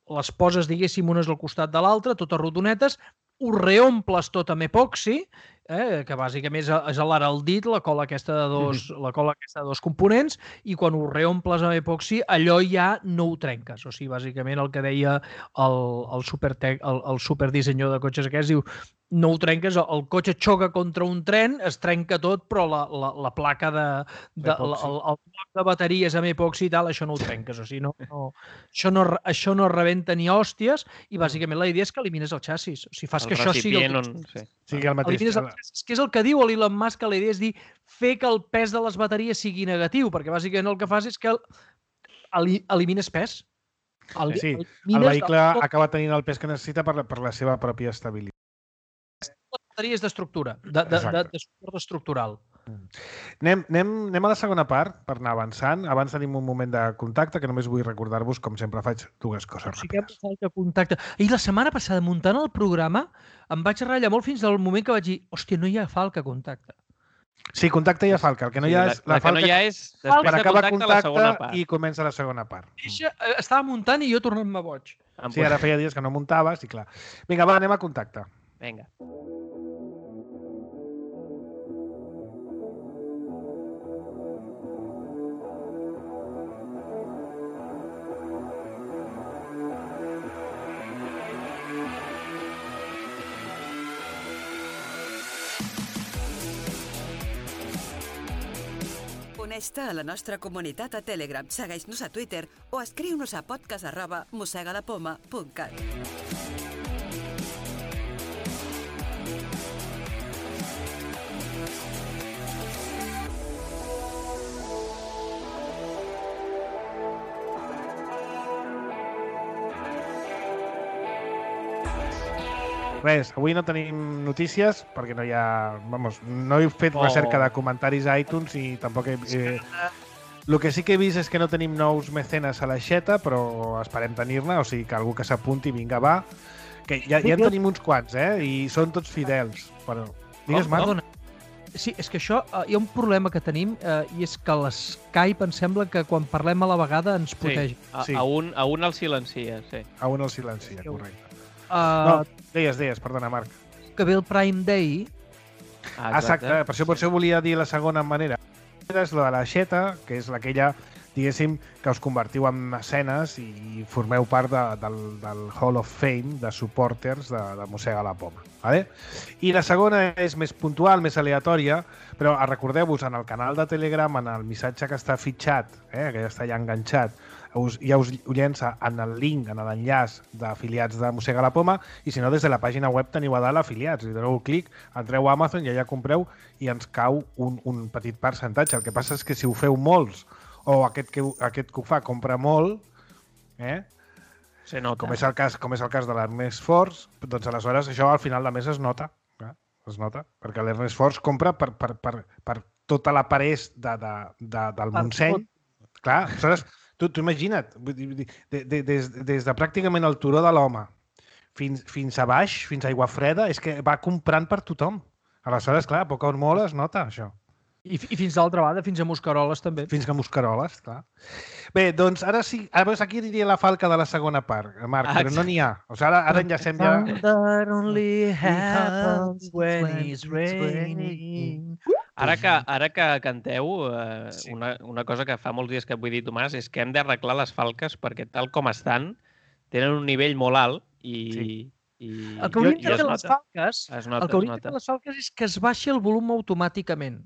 les poses, diguéssim, unes al costat de l'altra, totes rodonetes, ho reomples tot amb epoxi, que bàsicament és l'araldit, la cola aquesta de dos components, i quan ho reomples amb epoxi, allò ja no ho trenques. O sigui, bàsicament el que deia el superdissenyador de cotxes aquest, diu, no ho trenques, el cotxe xoca contra un tren, es trenca tot, però la placa el bloc de bateries amb epoxi i tal, això no ho trenques. O sigui, això no rebenta ni hòsties, i bàsicament la idea és que elimines el xassis. O sigui, fas que això sigui el mateix. Que és el que diu l'Elon Musk, que la idea és dir, fer que el pes de les bateries sigui negatiu, perquè bàsicament el que fas és que elimines pes. El vehicle acaba tenint el pes que necessita per la seva pròpia estabilitat. Bateries d'estructura, de suport estructural. Anem a la segona part per anar avançant. Abans tenim un moment de contacte, que només vull recordar-vos, com sempre faig dues coses ràpides. I la setmana passada, muntant el programa, em vaig ratllar molt fins al moment que vaig dir, hòstia, no hi ha Falca Contacte. Sí, Contacte hi ha Falca. El que no hi ha és la Falca per acabar Contacte i comença la segona part. Estava muntant i jo tornant-me boig. Sí, ara feia dies que no muntaves i clar. Vinga, va, anem a Contacte. Vinga. Uneix-te a la nostra comunitat a Telegram, segueix-nos a Twitter o escriu-nos a podcast@mosegadapoma.cat. res, avui no tenim notícies perquè no hi ha... Vamos, no he fet recerca de comentaris a iTunes i tampoc he... El que sí que he vist és que no tenim nous mecenes a l'aixeta, però esperem tenir-ne, o sigui que algú que s'apunti, vinga, va. Que ja en tenim uns quants, i són tots fidels. Però... Digues, Marc? Sí, és que això, hi ha un problema que tenim i és que l'Skype em sembla que quan parlem a la vegada ens protege. Sí, a un el silencia, sí. A un el silencia, correcte. No, deies, perdona, Marc. Que ve el Prime Day. Exacte, per això volia dir la segona manera. És la de l'aixeta, que és aquella, diguéssim, que us convertiu en mecenes i formeu part del Hall of Fame de supporters de Mossega la Poma. Vale? I la segona és més puntual, més aleatòria, però recordeu-vos, en el canal de Telegram, en el missatge que està fitxat, que ja està ja enganxat, ja us ho llença en el link, en l'enllaç d'afiliats de Mossega la Poma, i si no, des de la pàgina web teniu a dalt afiliats. Li doneu clic, entreu a Amazon i allà compreu i ens cau un petit percentatge. El que passa és que si ho feu molts, o aquest que ho fa compra molt, se nota. Com és el cas de l'Ernest Force, doncs aleshores això al final de mes es nota. Es nota, perquè l'Ernest Force compra per tota la parés del Montseny. Clar, aleshores, tu imagina't, des de pràcticament el turó de l'Home fins a baix, fins a Aiguafreda, és que va comprant per tothom. Aleshores, clar, a poc o molt es nota això. I fins d'altra banda, fins a Mosqueroles, també. Fins a Mosqueroles, clar. Bé, doncs ara sí, aquí diria la falca de la segona part, Marc, però no n'hi ha. O sigui, ara enllacem ja... That only happens when it's raining. Ara que canteu, una cosa que fa molts dies que vull dir, Tomàs, és que hem d'arreglar les falques perquè tal com estan, tenen un nivell molt alt i... El que hauríem de fer les falques és que es baixi el volum automàticament.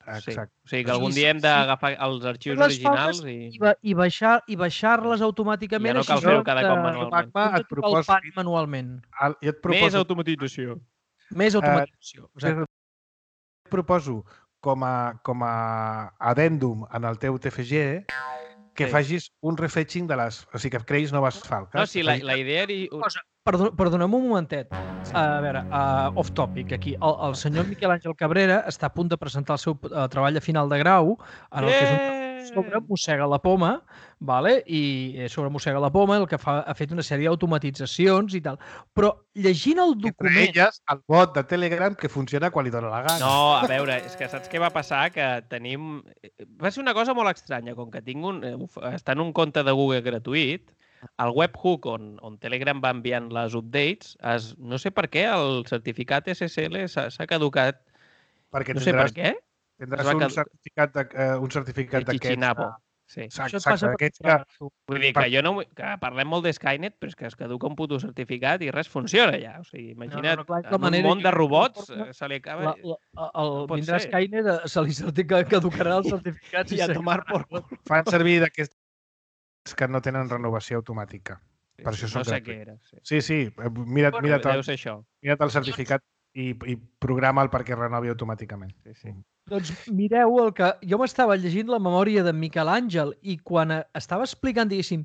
Exacte. O sigui que algun dia hem d'agafar els arxius originals i baixar-les automàticament. Ja no cal fer-ho cada cop manualment. Et proposo manualment. Més automatització. Més automatització. Et proposo com a addendum en el teu TFG que facis un refetching de les... O sigui, que creïs noves falques. No, sí, la idea era... Perdona'm un momentet. A veure, off topic, aquí. El senyor Miquel Àngel Cabrera està a punt de presentar el seu treball de final de grau, en el que és un sobre Mossega la Poma, i sobre Mossega la Poma el que ha fet una sèrie d'automatitzacions i tal. Però llegint el document... Entre elles, el bot de Telegram que funciona quan li dóna la gana. No, a veure, és que saps què va passar? Que tenim... Va ser una cosa molt estranya, com que està en un compte de Google gratuït, el webhook on Telegram va enviant les updates, no sé per què el certificat SSL s'ha caducat. Perquè no sé per què. Tindràs un certificat d'aquests. Xichinabo. Sí. Exacte. Vull dir que que parlem molt de Skynet, però és que es caduca un puto certificat i res funciona ja. O sigui, imagina't, en un món de robots se li acaba... Vindrà Skynet, se li caducarà el certificat i a tomar por cul. Fan servir d'aquests que no tenen renovació automàtica. Per això són gratuïts. Sí, mira't el certificat i programa'l perquè renovi automàticament. Doncs mireu el que... Jo m'estava llegint la memòria d'en Miquel Àngel i quan estava explicant, diguéssim,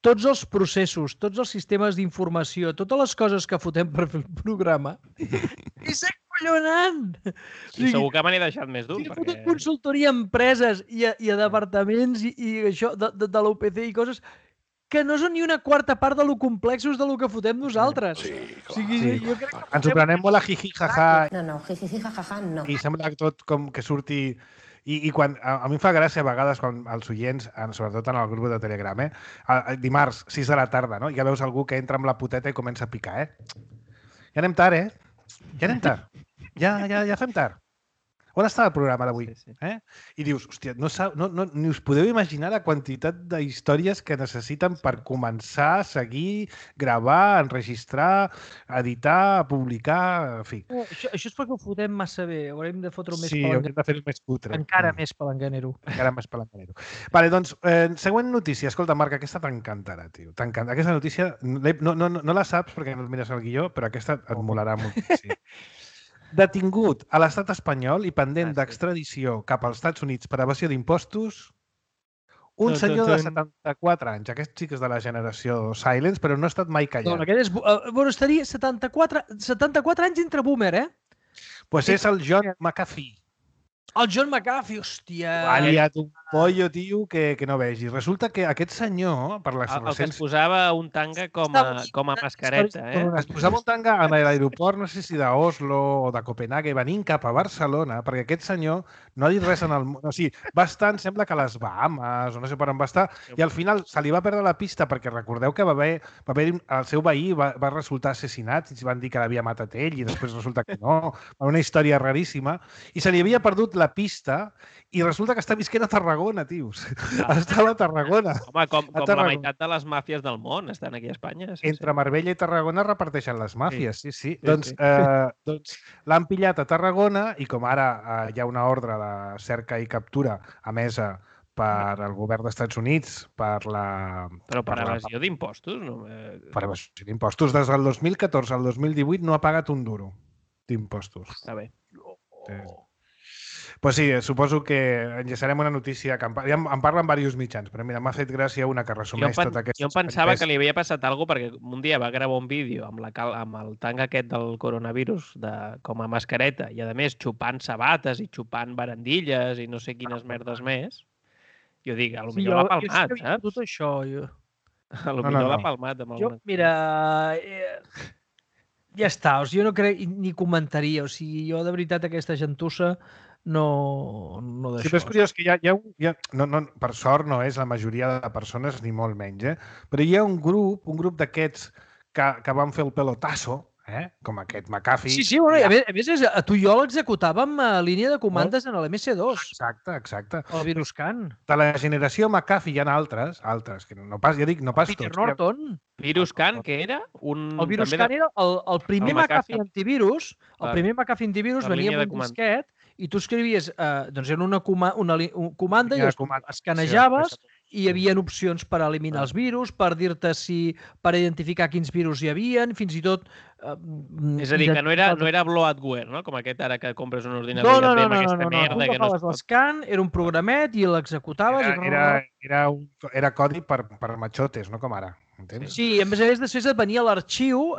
tots els processos, tots els sistemes d'informació, totes les coses que fotem per fer el programa, és acollonant! Segur que me n'he deixat més d'un. He fotut consultoria a empreses i a departaments i això de l'UPC i coses que no són ni una quarta part de lo complexos de lo que fotem nosaltres. Sí, clar. O sigui, jo crec que... Ens ho prenem molt a jiji, jaja. No, jiji, jaja, no. I sembla tot com que surti... I quan, a mi em fa gràcia a vegades quan els oients, sobretot en el grup de Telegram, dimarts, 6 de la tarda, no? Ja veus algú que entra amb la puteta i comença a picar, Ja anem tard, Ja anem tard. Ja fem tard. On està el programa d'avui? I dius, hòstia, ni us podeu imaginar la quantitat d'històries que necessiten per començar, seguir, gravar, enregistrar, editar, publicar, en fi. Això és perquè ho fotem massa bé. Haurem de fotre-ho més palanganero. Sí, haurem de fer-ho més putre. Encara més palanganero. Vale, doncs, següent notícia. Escolta, Marc, aquesta t'encantarà, tio. T'encanta. Aquesta notícia no la saps perquè no et mires el guió, però aquesta et molarà moltíssim. Detingut a l'estat espanyol i pendent d'extradició cap als Estats Units per evasió d'impostos, Un senyor de 74 anys. Aquest sí que és de la generació Silence, però no ha estat mai callat. No, aquest és... Bueno, estaria 74 anys entre boomer, eh? Pues és el John McAfee. El John McAfee, hòstia! Ha liat un pollo, tio, que no vegi. Resulta que aquest senyor, per les El que es recents... posava un tanga com a mascareta, eh? Es posava un tanga a l'aeroport, no sé si d'Oslo o de Copenhague, venint cap a Barcelona, perquè aquest senyor no ha dit res en el món. O sigui, va estar, em sembla que a les Bahamas, o no sé per on va estar, i al final se li va perdre la pista, perquè recordeu que va haver el seu veí va resultar assassinat, i van dir que l'havia matat ell, i després resulta que no. Una història raríssima. I se li havia perdut la pista, i resulta que està visquent a Tarragona, tios. Estava a Tarragona. Home, com la meitat de les màfies del món estan aquí a Espanya. Sí, Entre Marbella i Tarragona reparteixen les màfies, sí. Doncs l'han pillat a Tarragona i com ara hi ha una ordre de cerca i captura emesa per al govern dels Estats Units Però per evasió d'impostos? No? Per evasió d'impostos. Des del 2014 al 2018 no ha pagat un duro d'impostos. Està bé. Pues sí, suposo que enllaçarem una notícia que em parlen diversos mitjans, però mira, m'ha fet gràcia una que resumeix tot aquest... Jo em pensava que li havia passat alguna cosa perquè un dia va gravar un vídeo amb el tanga aquest del coronavirus com a mascareta i, a més, xupant sabates i xupant barandilles i no sé quines merdes més. Jo dic, potser l'ha palmat, saps? Tot això, jo. Potser l'ha palmat. Mira, ja està, o sigui, jo no crec ni comentaria, o sigui, jo de veritat aquesta gentussa no d'això. Sí, però és curiós que per sort no és la majoria de persones ni molt menys, però hi ha un grup d'aquests que van fer el pelotasso, com aquest McAfee. Sí, bueno, a més tu i jo l'executàvem a línia de comandes en l'MS2. Exacte. El Viruscan. De la generació McAfee hi ha altres, que no pas, ja dic, no pas Peter tots. Norton. Viruscan, què era? El Viruscan era el primer McAfee antivirus. El primer McAfee antivirus venia amb un disquet i tu escrivies, doncs era una comanda i escanejaves i hi havia opcions per eliminar els virus, per dir-te per identificar quins virus hi havia, fins i tot... És a dir, que no era bloatware, no? Com aquest ara que compres un ordinador i et ve amb aquesta merda que no es pot... l'escan, era un programet i l'executaves... Era codi per matxotes, no com ara. Sí, a més després et venia l'arxiu,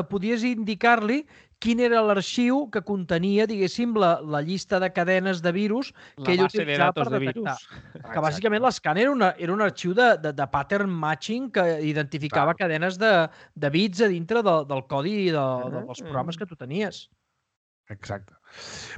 podies indicar-li quin era l'arxiu que contenia, diguéssim, la llista de cadenes de virus que ell utilitzava per detectar. Que bàsicament l'escan era un arxiu de pattern matching que identificava cadenes de bits a dintre del codi dels programes que tu tenies. Exacte.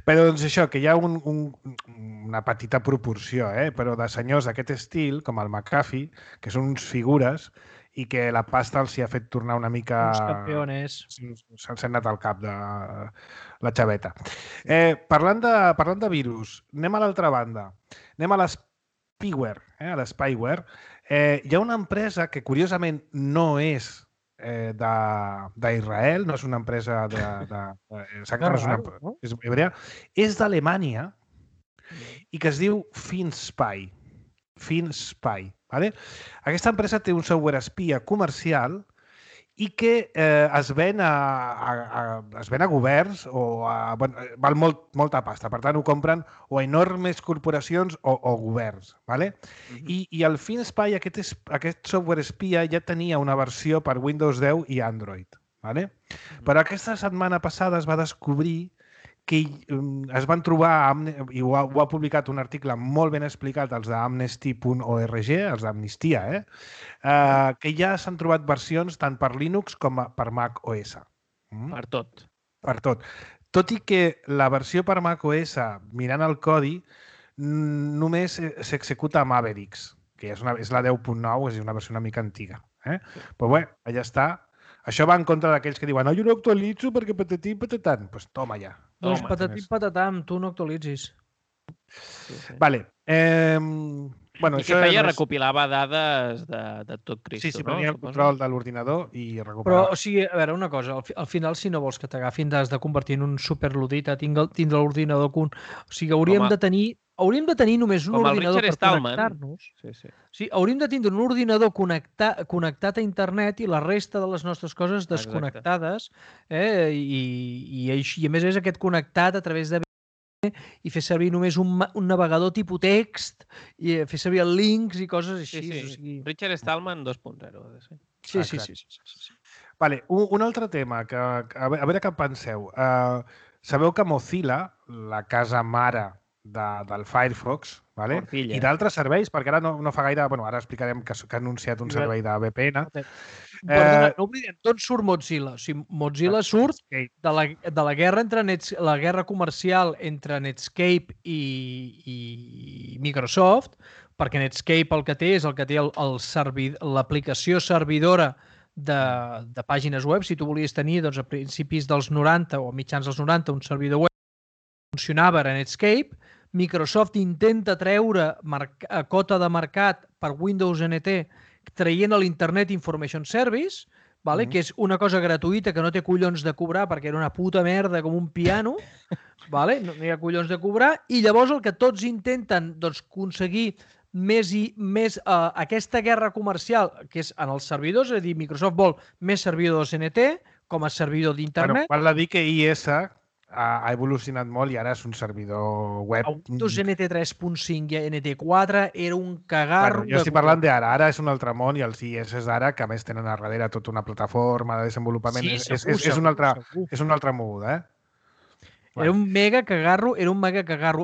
Però doncs això, que hi ha una petita proporció, però de senyors d'aquest estil, com el McAfee, que són uns figures i que la pasta els hi ha fet tornar una mica... Uns campeones. Se'ls ha anat al cap de la xaveta. Parlant de virus, anem a l'altra banda. Anem a l'spyware. A l'spyware. Hi ha una empresa que, curiosament, no és d'Israel, no és una empresa és hebrea, és d'Alemanya i que es diu FinSpy. Vale? Aquesta empresa té un software espia comercial i que es ven a governs val molta pasta. Per tant, ho compren o enormes corporacions o governs. Vale? I el FinSpy, aquest software espia, ja tenia una versió per Windows 10 i Android. Vale? Però aquesta setmana passada es va descobrir que es van trobar, i ho ha publicat un article molt ben explicat, els d'amnesty.org, els d'Amnistia, que ja s'han trobat versions tant per Linux com per Mac OS. Per tot. Per tot. Tot i que la versió per Mac OS, mirant el codi, només s'executa a Mavericks, que és la 10.9, és una versió una mica antiga. Però bé, allà està. Això va en contra d'aquells que diuen jo no actualitzo perquè patatim patatant. Doncs pues toma ja. Doncs patatim patatam, tu no actualitzis. Vale. Bueno, I què feia? Recopilava dades de tot Cristo, no? Sí, prenia el control de l'ordinador i recuperava. Però, o sigui, a veure, una cosa, al final, si no vols que t'agafin, has de convertir en un superludit a tindre l'ordinador... O sigui, hauríem de tenir només un ordinador per connectar-nos. Sí, hauríem de tindre un ordinador connectat a internet i la resta de les nostres coses desconnectades. I a més és aquest connectat a través de i fer servir només un navegador tipus text i fer servir els links i coses així. Sí. O sigui... Richard Stallman 2.0. Sí. Vale, un altre tema, que a veure què penseu. Sabeu que Mozilla, la casa mare del Firefox, vale? I d'altres serveis, perquè ara no fa gaire... Bueno, ara explicarem que ha anunciat un servei de VPN. Perdona, no oblidem, d'on surt Mozilla? O sigui, Mozilla surt de la guerra la guerra comercial entre Netscape i Microsoft, perquè Netscape el que té és l'aplicació servidora de pàgines web. Si tu volies tenir a principis dels 90 o mitjans dels 90 un servidor web funcionava a Netscape, Microsoft intenta treure cota de mercat per Windows NT traient l'Internet Information Service, que és una cosa gratuïta que no té collons de cobrar perquè era una puta merda com un piano, no hi ha collons de cobrar, i llavors el que tots intenten aconseguir més aquesta guerra comercial, que és en els servidors, és a dir, Microsoft vol més servidors NT com a servidor d'internet. Val a dir que IS ha evolucionat molt i ara és un servidor web. Windows NT 3.5 i NT4 era un cagarro. Jo estic parlant d'ara. Ara és un altre món i els IS d'ara, que a més tenen a darrere tota una plataforma de desenvolupament, és un altre moguda, Era un mega cagarro,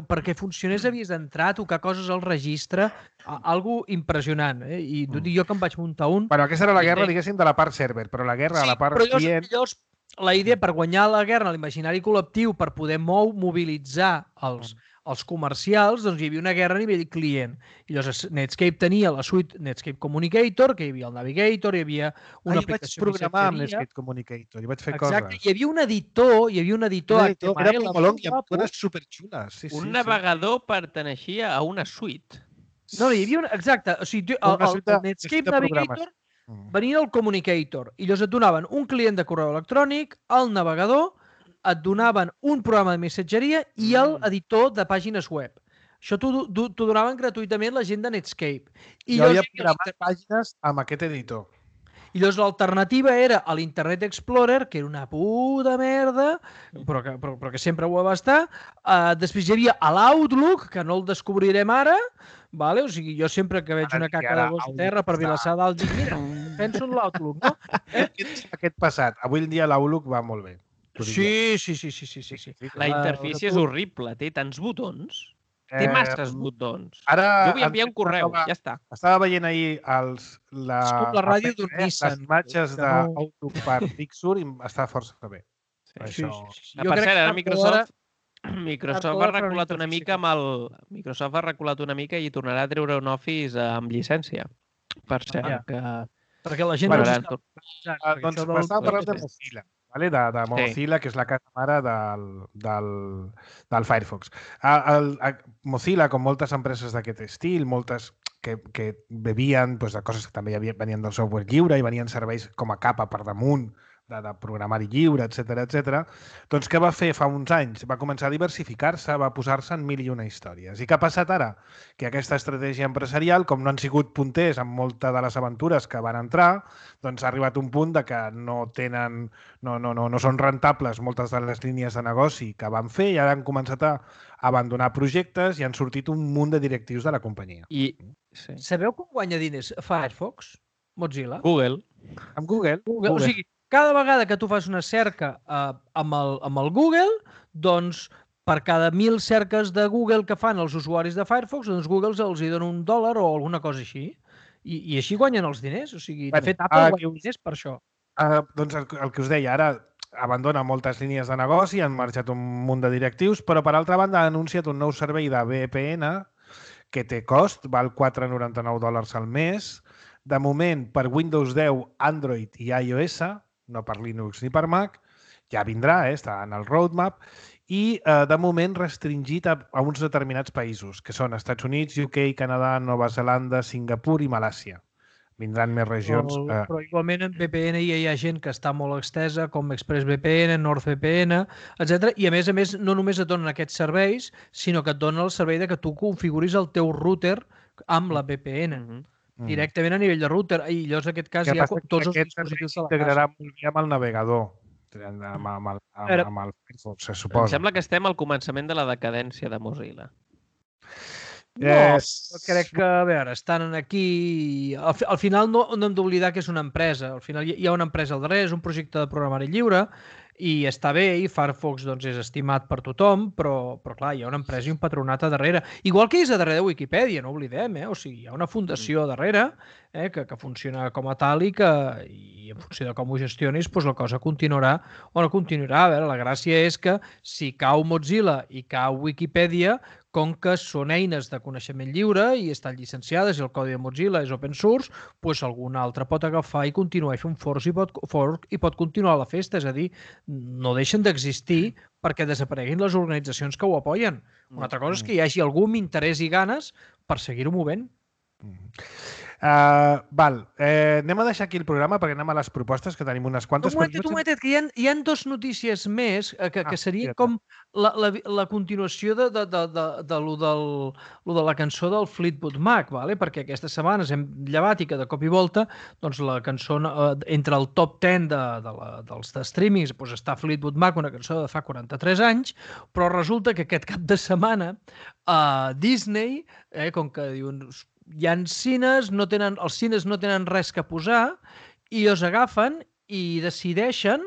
perquè funcionés havies d'entrar, tocar coses al registre, algo impressionant, i jo que em vaig muntar un... Però aquesta era la guerra, diguéssim, de la part server, però la guerra a la part client... La idea per guanyar la guerra a l'imaginari col·lectiu, per poder mobilitzar els comercials, doncs hi havia una guerra a nivell client. I llavors Netscape tenia la suite Netscape Communicator, que hi havia el Navigator, hi havia una aplicació vaig programar amb Netscape Communicator, hi vaig fer coses. Exacte, hi havia un editor era molt long i amb coses superxules. Un navegador perteneixia a una suite. No, hi havia exacte, o sigui, el Netscape Navigator venia el Communicator i llavors et donaven un client de correu electrònic, el navegador, et donaven un programa de missatgeria i l'editor de pàgines web. Això t'ho donaven gratuïtament la gent de Netscape. Jo havia programat pàgines amb aquest editor. I llavors l'alternativa era a l'Internet Explorer, que era una puta merda, però que sempre ho va estar. Després hi havia l'Outlook, que no el descobrirem ara. O sigui, jo sempre que veig una caca de gos a terra per Vilassar dalt, dic, mira, penso en l'Outlook, no? Aquest passat. Avui en dia l'Outlook va molt bé. Sí. La interfície és horrible, té tants botons. Té masses botons. Ara, jo vull enviar un correu, ja està. Estava veient ahir la ràdio d'un Nissan. Les imatges d'Outlook per Big Sur i està força bé. Per cert, ara Microsoft ha reculat una mica Microsoft ha reculat una mica i tornarà a treure un Office amb llicència. Per cert, perquè la gent no... Doncs m'estava parlant de Mozilla. De Mozilla, que és la casa mare del Firefox. Mozilla, com moltes empreses d'aquest estil, moltes que bevien de coses que també venien del software lliure i venien serveis com a capa per damunt de programari lliure, etc. Doncs què va fer fa uns anys? Va començar a diversificar-se, va posar-se en mil i una històries. I què ha passat ara? Que aquesta estratègia empresarial, com no han sigut punters en moltes de les aventures que van entrar, doncs ha arribat un punt de que no són rentables moltes de les línies de negoci que van fer i ara han començat a abandonar projectes i han sortit un munt de directius de la companyia. Sabeu com guanya diners Firefox? Mozilla? Google. Amb Google? O sigui, cada vegada que tu fas una cerca amb el Google, doncs per cada 1.000 cerques de Google que fan els usuaris de Firefox, doncs Google els hi dona $1 o alguna cosa així. I així guanyen els diners. O sigui, de fet, Apple guanya diners per això. Doncs el que us deia, ara abandona moltes línies de negoci, han marxat un munt de directius, però per altra banda ha anunciat un nou servei de VPN que té cost, val $4,99 al mes. De moment, per Windows 10, Android i iOS, no per Linux ni per Mac, ja vindrà, està en el roadmap, i de moment restringit a uns determinats països, que són Estats Units, UK, Canadà, Nova Zelanda, Singapur i Malàisia. Vindran més regions. Però igualment en VPN hi ha gent que està molt extesa, com ExpressVPN, NordVPN, etc. I a més, no només et donen aquests serveis, sinó que et donen el servei de que tu configuris el teu router amb la VPN. Directament a nivell de router. I llavors, en aquest cas, hi ha tots els dispositius de la casa. S'integrarà molt bé amb el navegador. amb el Firefox, se suposa. Em sembla que estem al començament de la decadència de Mozilla. No, crec que, a veure, estan aquí... Al final no hem d'oblidar que és una empresa. Al final hi ha una empresa al darrere, és un projecte de programari lliure i està bé, i Firefox doncs, és estimat per tothom, però clar, hi ha una empresa i un patronat a darrere. Igual que és a darrere de Wikipedia, no oblidem, O sigui, hi ha una fundació a darrere que funciona com a tal i en funció de com ho gestionis, doncs la cosa continuarà o no continuarà. A veure, la gràcia és que si cau Mozilla i cau Wikipedia, com que són eines de coneixement lliure i estan llicenciades i el codi de Mozilla és open source, doncs algun altre pot agafar i continuar i fer un fork i pot continuar la festa. És a dir, no deixen d'existir perquè desapareguin les organitzacions que ho apoyen. Una altra cosa és que hi hagi algú amb interès i ganes per seguir-ho movent. Anem a deixar aquí el programa perquè anem a les propostes, que tenim unes quantes. Un momentet, que hi ha dos notícies més que serien com la continuació de la cançó del Fleetwood Mac, perquè aquestes setmanes hem llevat i que de cop i volta la cançó entre el top 10 dels streamings està Fleetwood Mac, una cançó de fa 43 anys, però resulta que aquest cap de setmana Disney, com que diuen hi ha cines, els cines no tenen res que posar i els agafen i decideixen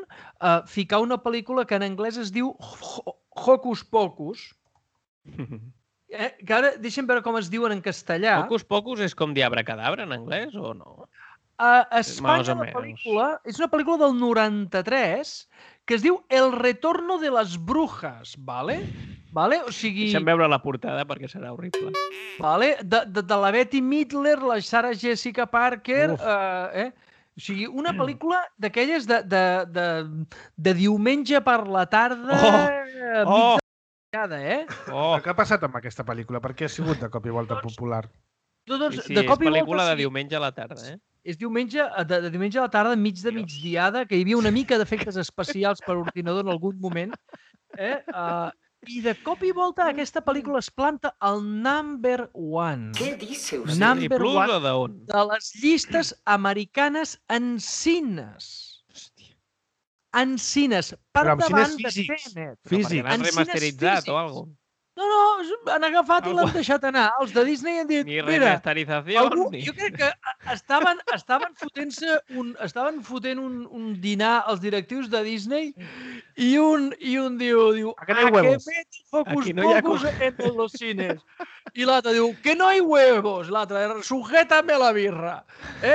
ficar una pel·lícula que en anglès es diu Hocus Pocus. Que ara deixem veure com es diuen en castellà. Hocus Pocus és com Diabracadabra en anglès o no? A Espanya la pel·lícula és una pel·lícula del 93 que es diu El retorno de las brujas, ¿vale? O sigui... Deixa'm veure la portada perquè serà horrible. De la Betty Midler, la Sarah Jessica Parker... O sigui, una pel·lícula d'aquelles de diumenge per la tarda... Què ha passat amb aquesta pel·lícula? Per què ha sigut de cop i volta popular? Sí, és pel·lícula de diumenge a la tarda, És diumenge a la tarda, mig de migdiada, que hi havia una mica d'efectes especials per ordinador en algun moment. I de cop i volta aquesta pel·lícula es planta al number one. Què dius? Number one de les llistes americanes en cines. En cines. Per davant de Tenet. Perquè l'han remasteritzat o alguna cosa. No, han agafat i l'han deixat anar. Els de Disney han dit... Ni remasterització. Jo crec que estaven fotent un dinar als directius de Disney i un diu a que meto Hocus Pocus en los cines. I l'altre diu, que no hay huevos. L'altre, sujétame la birra.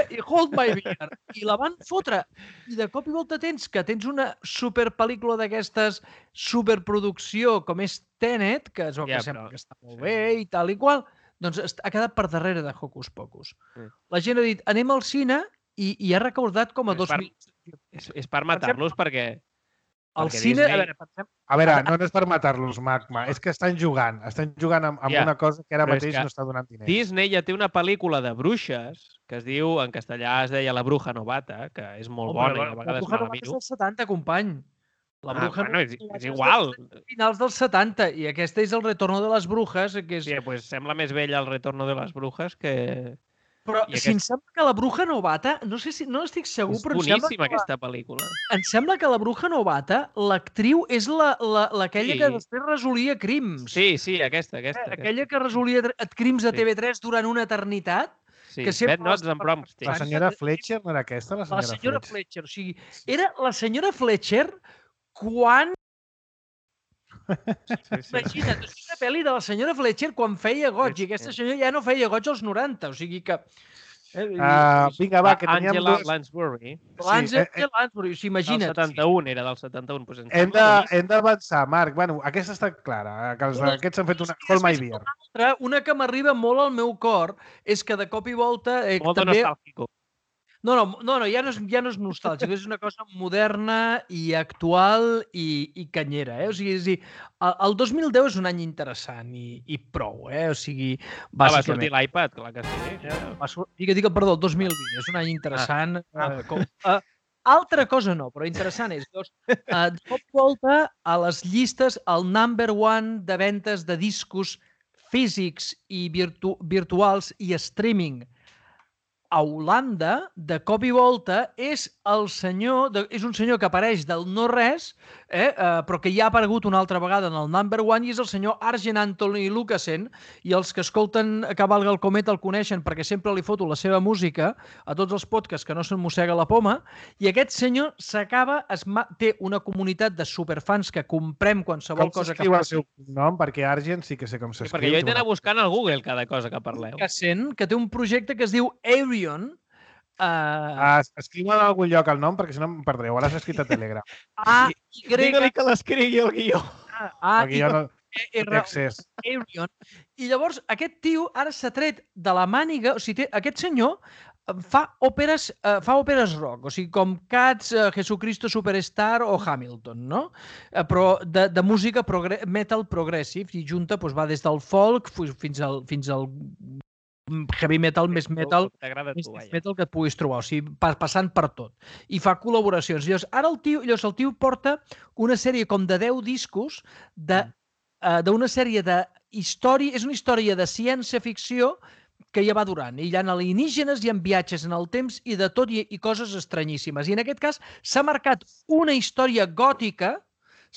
I hold my beer. I la van fotre. I de cop i volta tens una superpel·lícula d'aquestes superproducció com és Tenet, que és el que sembla que està molt bé i tal i qual, doncs ha quedat per darrere de Hocus Pocus. La gent ha dit, anem al cine i ha recordat com a 2.000... És per matar-los perquè... El cine... A veure, no és per matar-los, Magma, és que estan jugant amb una cosa que ara mateix no està donant diners. Disney ja té una pel·lícula de bruixes que es diu, en castellà es deia La bruja novata, que és molt bona i a vegades me la miro. La bruja novata és del 70, company. La bruja és igual. Finals dels 70, i aquesta és El retorno de les brujes. Sí, doncs sembla més vella El retorno de les brujes que... Però si em sembla que La bruja novata, no estic segur, però és boníssima aquesta pel·lícula. Em sembla que La bruja novata, l'actriu és aquella que després resolia crims. Sí, aquesta. Aquella que resolia crims a TV3 durant una eternitat. Sí, Bad Notes and Broomsticks. La senyora Fletcher no era aquesta? La senyora Fletcher, o sigui, era la senyora Fletcher quan... Imagina't, és una pel·li de la senyora Fletcher quan feia goig, i aquesta senyora ja no feia goig als 90, o sigui que... Vinga, va, que teníem Angela Lansbury. Angela Lansbury, o sigui, imagina't. Del 71, era del 71. Hem d'avançar, Marc. Bueno, aquesta està clara, que aquests han fet una Hold My Beer. Una que m'arriba molt al meu cor és que de cop i volta... Molt nostàlgico. No, ja no és nostàlgic, és una cosa moderna i actual i canyera. O sigui, el 2010 és un any interessant i prou. O sigui, bàsicament... Va sortir l'iPad, clar que sí. Digue, perdó, el 2020, és un any interessant. Altra cosa no, però interessant és. De cop volta, a les llistes, el number one de ventes de discos físics i virtuals i streaming a Holanda, de cop i volta, és un senyor que apareix del no-res, però que ja ha aparegut una altra vegada en el number one, i és el senyor Arjen Anthony Lucassen, i els que escolten Cavalga el Cometa el coneixen perquè sempre li foto la seva música a tots els podcasts que no se'n mossega la poma, i aquest senyor té una comunitat de superfans que comprem qualsevol cosa que fa. Com s'escriu el seu nom? Perquè Arjen sí que sé com s'escriu. Perquè jo he d'anar buscant al Google cada cosa que parleu. Que té un projecte que es diu Arion. Escriu en algun lloc el nom, perquè si no em perdreu. Ara s'ha escrit a Telegram. Digue-li que l'escrigui el guió. El guió no té accés. Arion. I llavors aquest tio ara s'ha tret de la màniga, o sigui, aquest senyor fa òperes rock, o sigui, com Cats, Jesucristo Superstar o Hamilton, no? Però de música metal progressive, i junta va des del folk fins al heavy metal, més metal que et puguis trobar, o sigui, passant per tot. I fa col·laboracions. Llavors, ara el tio porta una sèrie com de 10 discos d'una sèrie d'història, és una història de ciència-ficció que ja va durant. I hi ha alienígenes, hi ha viatges en el temps i de tot, i coses estranyíssimes. I en aquest cas s'ha marcat una història gòtica,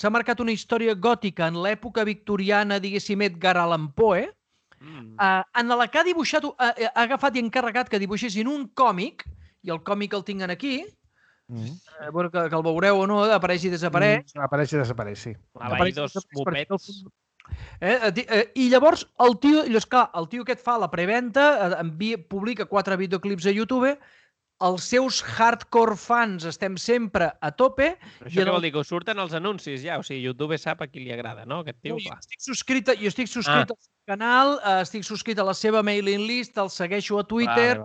en l'època victoriana, diguéssim, Edgar Allan Poe, en la que ha dibuixat, ha agafat i encarregat que dibuixessin un còmic, i el còmic el tinc aquí, que el veureu o no, apareix i desapareix. Apareix i desapareix, sí. Apareix dos mopets. I llavors el tio aquest fa la preventa, publica 4 videoclips a YouTube, els seus hardcore fans estem sempre a tope. Això què vol dir? Que us surten els anuncis ja? O sigui, YouTube sap a qui li agrada, no? Aquest tio, clar. Jo estic subscrit al seu canal, estic subscrit a la seva mailing list, el segueixo a Twitter,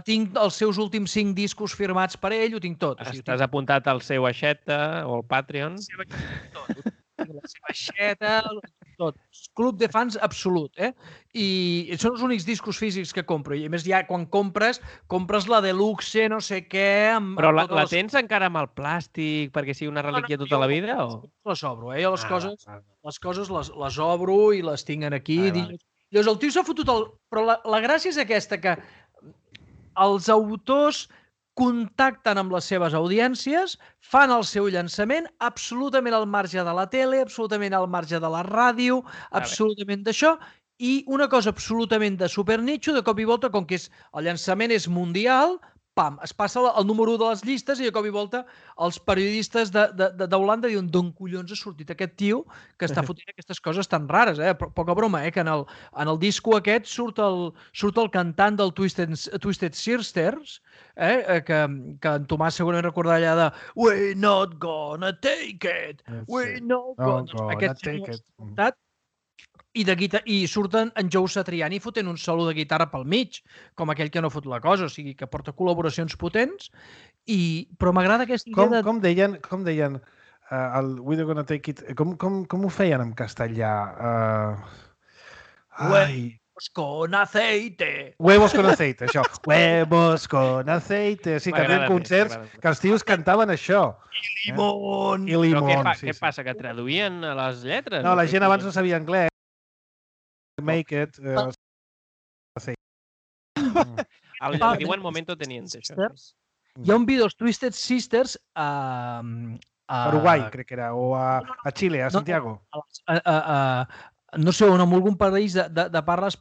tinc els seus últims 5 discos firmats per ell, ho tinc tot. Estàs apuntat al seu aixeta o al Patreon? La seva aixeta, tot. Club de fans absolut, I són els únics discos físics que compro. I a més, ja quan compres la deluxe, no sé què... Però la tens encara amb el plàstic perquè sigui una relíquia tota la vida? Les obro, Jo les coses les obro i les tinc aquí. Llavors el tio s'ha fotut Però la gràcia és aquesta, que els autors contacten amb les seves audiències, fan el seu llançament absolutament al marge de la tele, absolutament al marge de la ràdio, absolutament d'això, i una cosa absolutament de supernitxo, de cop i volta, com que el llançament és mundial, pam, es passa el número 1 de les llistes i de cop i volta els periodistes d'Holanda diuen d'on collons ha sortit aquest tio que està fotent aquestes coses tan rares, Poca broma, que en el disco aquest surt el cantant del Twisted Sisters, que en Tomàs segurament recordarà allà de We're not gonna take it, we're not gonna take it. I surten en Joe Satriani fotent un solo de guitarra pel mig, com aquell que no fot la cosa, o sigui, que porta col·laboracions potents, però m'agrada aquesta idea de... Com deien el We're Gonna Take It, com ho feien en castellà? Huevos con aceite. Huevos con aceite, això. Huevos con aceite. Sí, que feien concerts que els tios cantaven això. I limón. Però què passa, que traduïen a les lletres? No, la gent abans no sabia anglès. Make it. El diuen Momento Teniente, això. Hi ha un vídeo dels Twisted Sisters a Uruguai, crec que era, o a Xile, a Santiago. No sé, en algun país de parla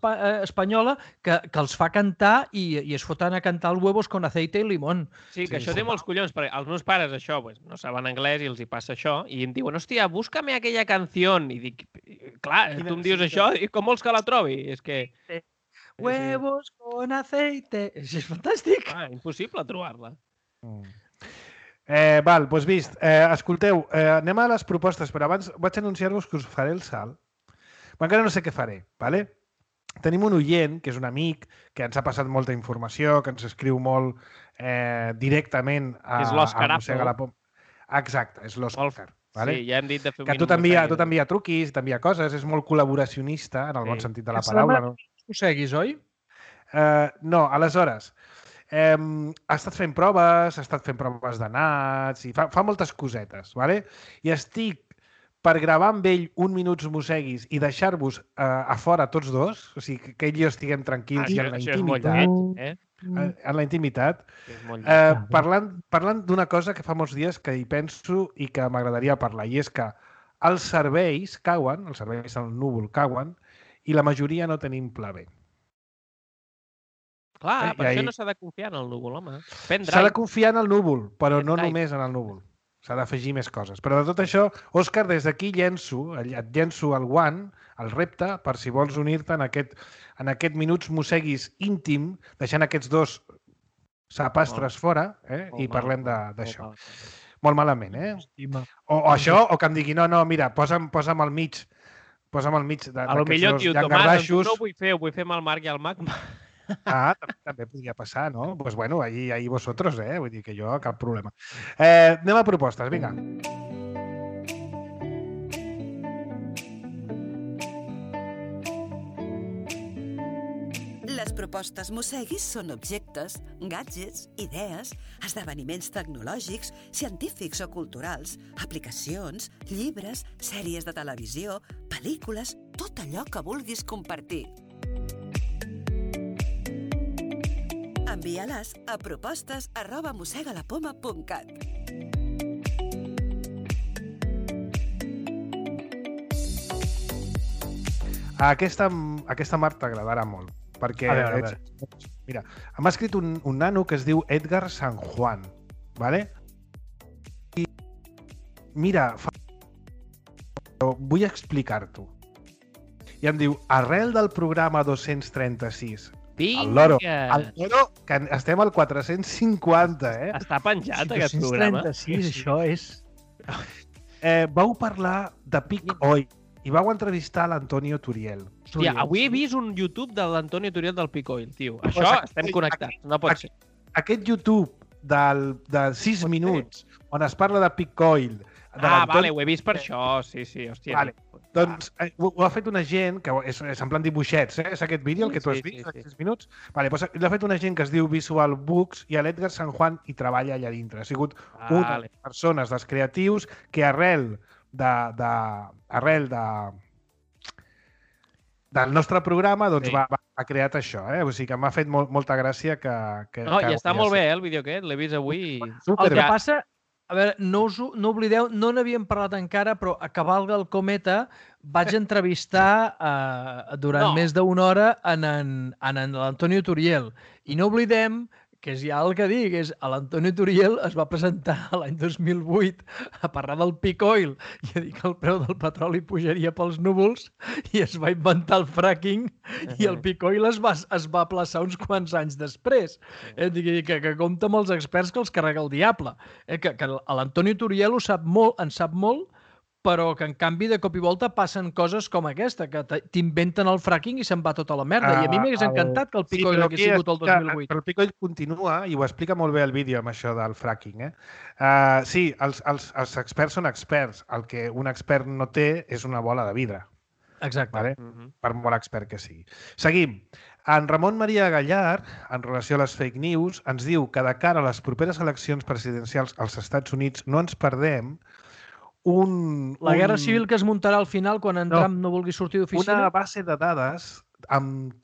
espanyola que els fa cantar i es foten a cantar el Huevos con aceite i limón. Sí, que això té molts collons, perquè els meus pares això no saben anglès i els hi passa això, i em diuen, hòstia, búscame aquella canción. I dic, clar, tu em dius això, i com vols que la trobi? És que... Huevos con aceite. És fantàstic. Impossible trobar-la. Val, doncs vist. Escolteu, anem a les propostes, però abans vaig anunciar-vos que us faré el salt. Encara no sé què faré, ¿vale? Tenim un oient, que és un amic, que ens ha passat molta informació, que ens escriu molt directament a Mossega la Poma. Exacte, és l'Òscar. Sí, ja hem dit de fer un minut. Que tu t'envia truquis, t'envia coses, és molt col·laboracionista, en el bon sentit de la paraula. Ho seguis, oi? No, aleshores, ha estat fent proves de nats, i fa moltes cosetes, ¿vale? I estic per gravar amb ell un Minuts Mosseguis i deixar-vos a fora tots dos, o sigui, que ell i jo estiguem tranquils i en la intimitat. En la intimitat. Parlant d'una cosa que fa molts dies que hi penso i que m'agradaria parlar, i és que els serveis cauen, els serveis al núvol cauen, i la majoria no tenim pla B. Clar, per això no s'ha de confiar en el núvol, home. S'ha de confiar en el núvol, però no només en el núvol. S'ha d'afegir més coses. Però de tot això, Òscar, des d'aquí et llenço el guant, el repte, per si vols unir-te en aquest Minuts Mosseguis íntim, deixant aquests dos sapastres fora, i parlem d'això. Molt malament, O això, o que em digui, no, mira, posa'm al mig. Posa'm al mig d'aquests dos llangardaixos. No ho vull fer amb el Marc i el Mac. També podria passar, no? Doncs bueno, ahí vosotros, vull dir que jo, cap problema. Anem a propostes, vinga. Les propostes Mosseguis són objectes, gadgets, idees, esdeveniments tecnològics, científics o culturals, aplicacions, llibres, sèries de televisió, pel·lícules, tot allò que vulguis compartir. Envia-les a propostes@mossegalapoma.cat. Aquesta Marc t'agradarà molt, perquè mira, m'ha escrit un nano que es diu Edgar San Juan, ¿vale? I mira, vull explicar-t'ho. I em diu, arrel del programa 236, el loro, que estem al 450, Està penjat aquest programa. 236, això és... Vau parlar de Peak Oil i vau entrevistar l'Antonio Turiel. Hòstia, avui he vist un YouTube de l'Antonio Turiel del Peak Oil, tio. Això estem connectats, no pot ser. Aquest YouTube de 6 minuts on es parla de Peak Oil... Vale, ho he vist per això, sí, hòstia. Vale. Doncs ho ha fet una gent, que és en plan dibuixets, és aquest vídeo, el que tu has vist, de 6 minuts? Vale, doncs l'ha fet una gent que es diu Visual Books i l'Edgar San Juan hi treballa allà dintre. Ha sigut una de les persones, dels creatius, que arrel del nostre programa doncs ha creat això. O sigui que m'ha fet molta gràcia que... No, i està molt bé, el vídeo aquest, l'he vist avui. El que passa... A veure, no oblideu, no n'havíem parlat encara, però a Cavalga el Cometa vaig entrevistar durant més d'una hora en l'Antonio Turiel. I no oblidem que ja el que dic és l'Antonio Turiel es va presentar l'any 2008 a parlar del Peak Oil i a dir que el preu del petroli pujaria pels núvols i es va inventar el fracking i el Peak Oil es va aplaçar uns quants anys després. Que compta amb els experts que els carrega el diable. Que l'Antonio Turiel en sap molt, però que en canvi de cop i volta passen coses com aquesta, que t'inventen el fracking i se'n va tota la merda. I a mi m'hagués encantat que el Peak Oil hagués sigut el 2008. Però el Peak Oil continua i ho explica molt bé el vídeo amb això del fracking. Sí, els experts són experts. El que un expert no té és una bola de vidre. Exacte. Per molt expert que sigui. Seguim. En Ramon Maria Gallard, en relació a les fake news, ens diu que de cara a les properes eleccions presidencials als Estats Units no ens perdem la guerra civil que es muntarà al final quan en Trump no vulgui sortir d'oficina? Una base de dades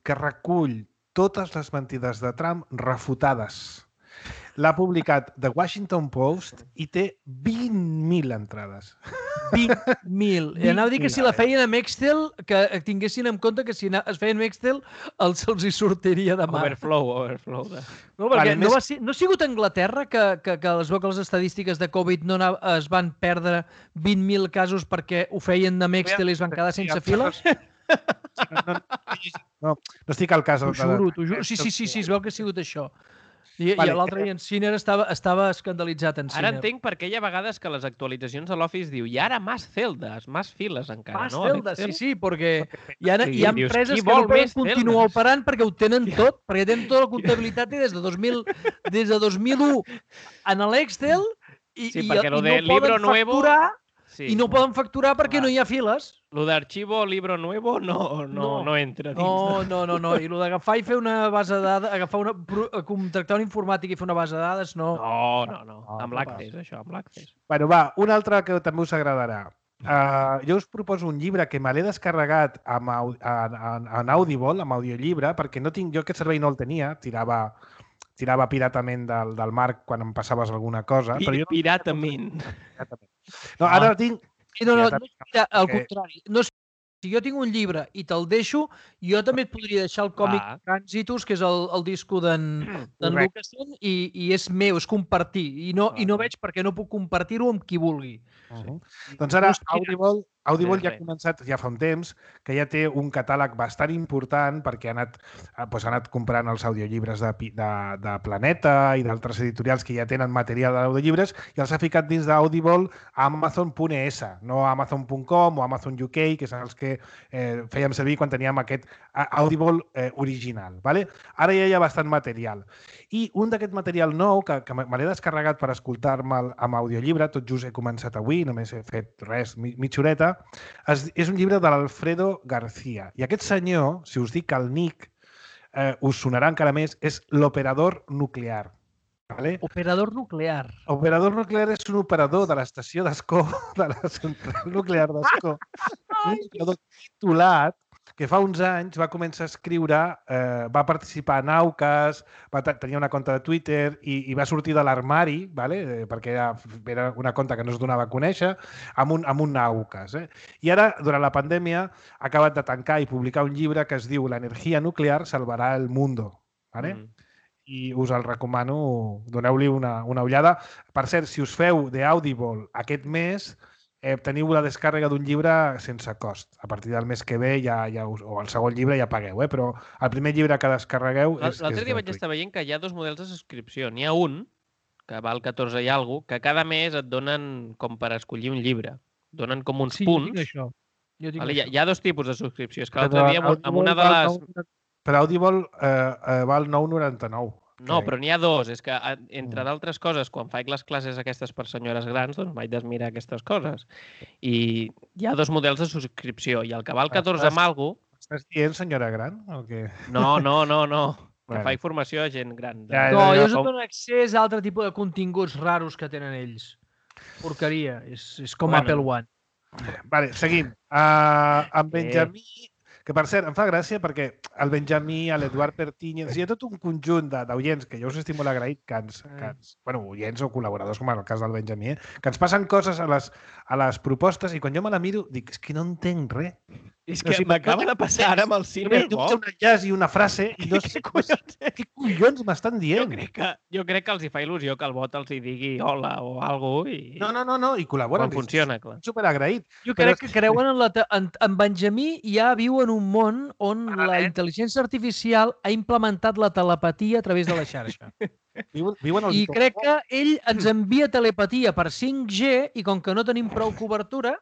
que recull totes les mentides de Trump refutades. L'ha publicat The Washington Post i té 20.000 entrades. 20.000. I anava a dir que si la feien amb Excel, que tinguessin en compte que si es feien amb Excel, se'ls hi sortiria de mà. Overflow. No, perquè no ha sigut a Anglaterra que es veu que les estadístiques de Covid es van perdre 20.000 casos perquè ho feien amb Excel i es van quedar sense files? No estic al cas. T'ho juro. Sí, es veu que ha sigut això. I l'altre dia en Sinner estava escandalitzat en Sinner. Ara entenc per què hi ha vegades que les actualitzacions de l'Office diu i ara més celdes, més files encara, no? Més celdes, sí, perquè hi ha empreses que no poden continuar operant perquè ho tenen tot, perquè tenen tota la comptabilitat i des de 2001 en l'Excel i no poden facturar perquè no hi ha files. Lo d'arxivo libro nuevo no entra dins. No. I lo d'agafar i fer una base de dades, contractar un informàtic i fer una base de dades, no. No. Amb l'Access, això, amb l'Access. Bueno, va, una altra que també us agradarà. jo us proposo un llibre que me l'he descarregat en Audible, amb audiollibre, perquè no tinc, jo aquest servei no el tenia, tirava piratament del Marc quan em passaves alguna cosa. Però jo no... Piratament. No, ara el tinc... No, al contrari. No, si jo tinc un llibre i te'l deixo, jo també et podria deixar el còmic Transitus, que és el disco d'en Lucasen, i és meu, és compartir. I no veig per què no puc compartir-ho amb qui vulgui. Doncs ara Audible ja ha començat, ja fa un temps, que ja té un catàleg bastant important perquè ha anat comprant els audiollibres de Planeta i d'altres editorials que ja tenen material d'audiollibres i els ha ficat dins d'Audible a Amazon.es, no a Amazon.com o Amazon UK, que són els que fèiem servir quan teníem aquest Audible original. Vale? Ara ja hi ha bastant material. I un d'aquest material nou, que me l'he descarregat per escoltar-me amb audiollibre, tot just he començat avui, només he fet res, mitja horeta, és un llibre de l'Alfredo García. I aquest senyor, si us dic el nick, us sonarà encara més, és l'operador nuclear. Vale? Operador nuclear. Operador nuclear és un operador de l'estació d'Ascó, de la central nuclear d'Ascó. Un operador titulat que fa uns anys va començar a escriure, va participar en Aucas, tenia una compte de Twitter i va sortir de l'armari, vale? Perquè era una compte que no es donava a conèixer, amb un Aucas. I ara, durant la pandèmia, ha acabat de tancar i publicar un llibre que es diu «L'energia nuclear salvarà el mundo». Vale? I us el recomano, doneu-li una ullada. Per cert, si us feu d'Audible aquest mes, teniu la descàrrega d'un llibre sense cost. A partir del mes que ve o el segon llibre ja pagueu, però el primer llibre que descarregueu és L'altre dia vaig estar veient que hi ha dos models de subscripció. N'hi ha un, que val 14 i alguna cosa, que cada mes et donen com per escollir un llibre. Donen com uns punts. Jo tinc això. Hi ha dos tipus de subscripció. És que l'altre dia amb una de les... Per Audible val 9,99. No, però n'hi ha dos. És que, entre d'altres coses, quan faig les classes aquestes per senyores grans, doncs vaig desmirar aquestes coses. I hi ha dos models de subscripció. I el que val 14 amb alguna cosa... Estàs dient senyora gran? O què? No. Que faig formació a gent gran. No, jo us dono accés a altre tipus de continguts raros que tenen ells. Porqueria. És com Apple One. Vale, seguim. En Benjamí... Que, per cert, em fa gràcia perquè el Benjamí, l'Eduard Pertinyes, hi ha tot un conjunt d'oients que jo us estic molt agraït, oients o col·laboradors, com en el cas del Benjamí, que ens passen coses a les propostes i quan jo me la miro dic, és que no entenc res. És que m'acaba de passar ara amb el Ciberbox. Un enllaç i una frase i no sé què collons m'estan dient. Jo crec que els hi fa il·lusió que el bot els hi digui hola o alguna cosa. No, i col·laboren. Quan funciona, clar. Superagraït. Jo crec que creuen en Benjamí ja viu en un món on la intel·ligència artificial ha implementat la telepatia a través de la xarxa. I crec que ell ens envia telepatia per 5G i com que no tenim prou cobertura,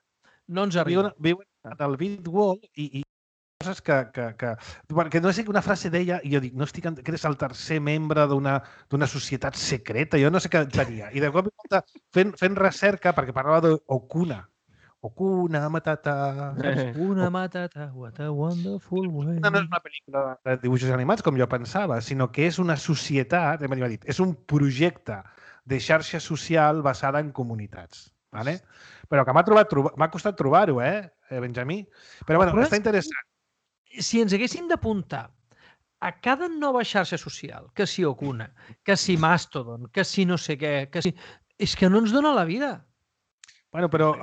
no ens arriba. Viuen al Bitwall i coses que no sé una frase d'ella i jo dic, no estic que eres el tercer membre d'una societat secreta, jo no sé què tenia. I de cop fent recerca, perquè parlava d'Okuna. Okuna Matata. Okuna Matata, what a wonderful way. No és una pel·lícula de dibuixos animats, com jo pensava, sinó que és una societat, és un projecte de xarxa social basada en comunitats. Vale? Però que m'ha costat trobar-ho, Benjamí? Però bueno, està interessant. Si ens haguéssim d'apuntar a cada nova xarxa social, que si Okuna, que si Mastodon, que si no sé què, és que no ens dona la vida. Bueno, però...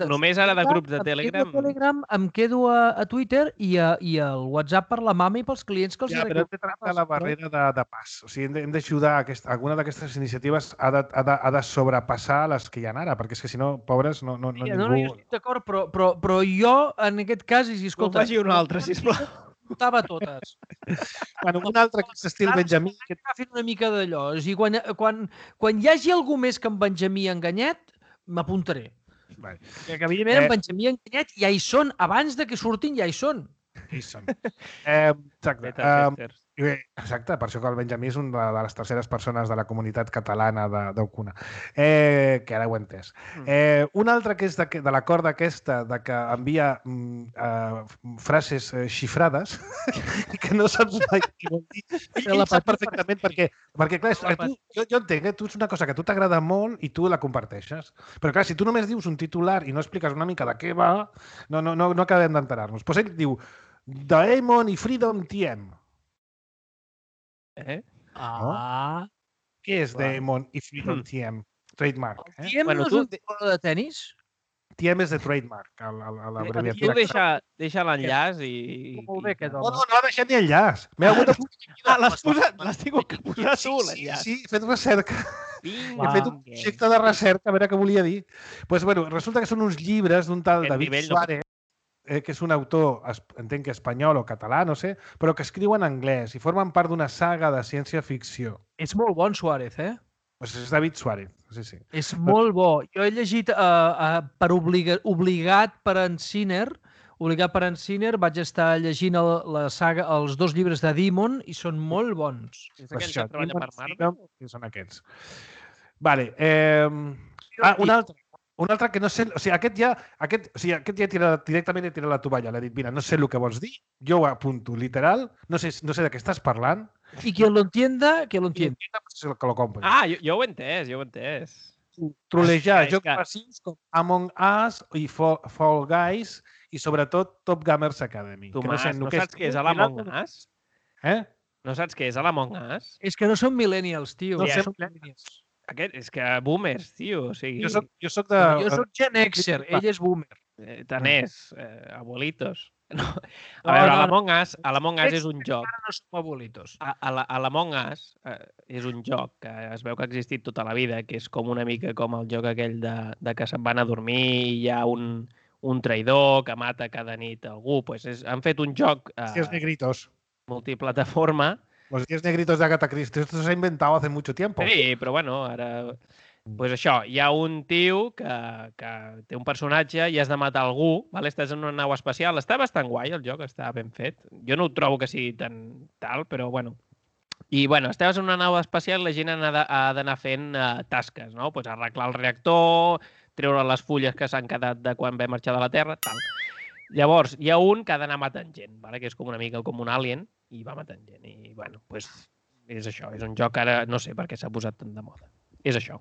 només ara de grups de Telegram... Em quedo a Twitter i al WhatsApp per la mama i pels clients que els... Ja, però hem de tractar la barrera de pas. O sigui, hem d'ajudar alguna d'aquestes iniciatives ha de sobrepassar les que hi ha ara, perquè és que si no, pobres, no ningú... No, jo estic d'acord, però jo, en aquest cas, i escolta... Vagi una altra, sisplau. Portava totes. Bueno, un altre que és estil Benjamí... Fent una mica d'allò. O sigui, quan hi hagi algú més que en Benjamí enganyat, m'apuntaré. Que evidentment en Benjamí enganyat ja hi són. Abans de que surtin ja hi són. Ja hi són. Exacte. Exacte, per això que el Benjamí és una de les terceres persones de la comunitat catalana d'Ocuna, que ara ho he entès. Un altre que és de l'acord d'aquesta, de que envia frases xifrades i que no saps mai què vol dir. Ell sap perfectament perquè clar, jo entenc, tu és una cosa que a tu t'agrada molt i tu la comparteixes. Però clar, si tu només dius un titular i no expliques una mica de què va, no acabem d'enterar-nos. Doncs ell diu Daemon i Freedom TM. Què és Daemon i Freedom TM? Trademark. TM no és un jugador de tenis? TM és de trademark, a l'abreviatura. Deixa l'enllaç i... Molt bé, aquest home. No ha deixat ni enllaç. L'has tingut que posar tu, l'enllaç. Sí, he fet recerca. He fet un projecte de recerca, a veure què volia dir. Doncs, bueno, resulta que són uns llibres d'un tal David Suárez, que és un autor, entenc que espanyol o català, no sé, però que escriu en anglès i formen part d'una saga de ciència-ficció. És molt bon, Suárez, eh? Pues és David Suárez, sí. És molt bo. Jo he llegit per obligat per en Sinner, vaig estar llegint la saga, els 2 llibres de Demon i són molt bons. És aquell que treballa per Marvel? Són aquests. Vale. Un altre que no sé... O sigui, aquest ja directament he tirat la tovalla. L'he dit, mira, no sé el que vols dir, jo ho apunto literal, no sé de què estàs parlant. I qui lo entienda, que lo entienda. Que lo compri. Jo ho he entès, Trolejar jocs passius com Among Us i Fall Guys i sobretot Top Gamers Academy. Tomàs, no saps què és l'Among Us? No saps què és l'Among Us? És que no són millennials, tio. No són millennials. És que boomers, tio. O sigui... Jo soc Gen Xer, ell és boomer. Tant és, abuelitos. No. A veure, l'Among Us és un joc. Ara no som abuelitos. L'Among Us és un joc que es veu que ha existit tota la vida, que és com una mica com el joc aquell de que se'n van a dormir i hi ha un traïdor que mata cada nit algú. Han fet un joc multiplataforma. Los 10 negritos de Agatha Christie. Esto se ha inventado hace mucho tiempo. Sí, però bueno, ara... Pues això, hi ha un tio que té un personatge i has de matar algú, vale? Estàs en una nau espacial. Està bastant guai el joc, està ben fet. Jo no ho trobo que sigui tan tal, però bueno. I bueno, estàs en una nau espacial i la gent ha d'anar fent tasques, no? Pues arreglar el reactor, treure les fulles que s'han quedat de quan vam marxar de la Terra, tal. Llavors, hi ha un que ha d'anar matant gent, vale? Que és com una mica com un alien, i va matant gent. I bueno, pues és això, és un joc ara, no sé per què s'ha posat tant de moda. És això.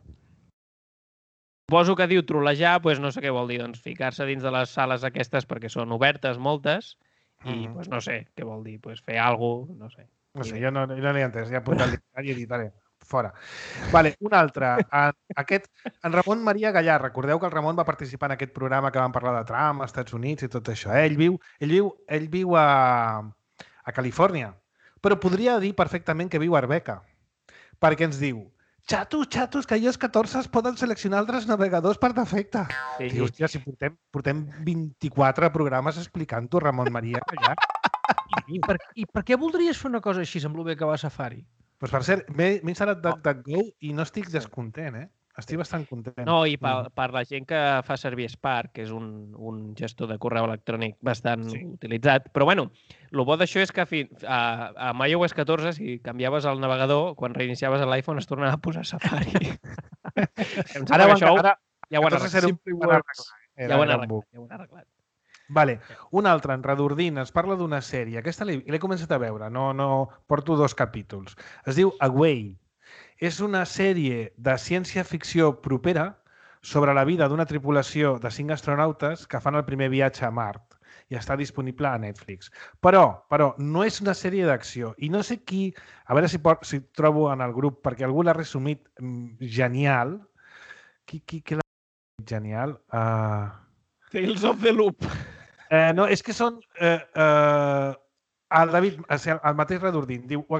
Suposo que diu trolejar, doncs no sé què vol dir, doncs ficar-se dins de les sales aquestes perquè són obertes moltes i doncs no sé què vol dir, doncs fer alguna cosa, no sé. No sé, jo no l'he entès, ja he apuntat el diccionari i he dit, vale, fora. Vale, un altre. En Ramon Maria Gallà, recordeu que el Ramon va participar en aquest programa que vam parlar de Trump, als Estats Units i tot això. Ell viu a Califòrnia, però podria dir perfectament que viu a Arbeca, perquè ens diu xatos, que iOS 14 es poden seleccionar altres navegadors per defecte. Sí. I, hòstia, si portem 24 programes explicant-ho, Ramon Maria Gallà. I per què voldries fer una cosa així amb el bé que va a Safari? Pues per cert, m'he instal·lat DuckDuckGo i no estic descontent, eh? Estic bastant content. No, i per la gent que fa servir Spark, que és un gestor de correu electrònic bastant utilitzat, però bueno, el bo d'això és que amb iOS 14, si canviaves el navegador, quan reiniciaves l'iPhone es tornava a posar Safari. Ara ja ho han arreglat. Ja ho han arreglat. Vale, un altre, en Redordint, ens parla d'una sèrie. Aquesta l'he començat a veure, no porto 2 capítols. Es diu Away. És una sèrie de ciència-ficció propera sobre la vida d'una tripulació de 5 astronautes que fan el primer viatge a Mart i està disponible a Netflix. Però no és una sèrie d'acció i no sé qui, a veure si trobo en el grup, perquè algú l'ha resumit genial. Qui l'ha resumit genial? Tales of the Loop. No, és que són... El David, el mateix Redordint, diu, ho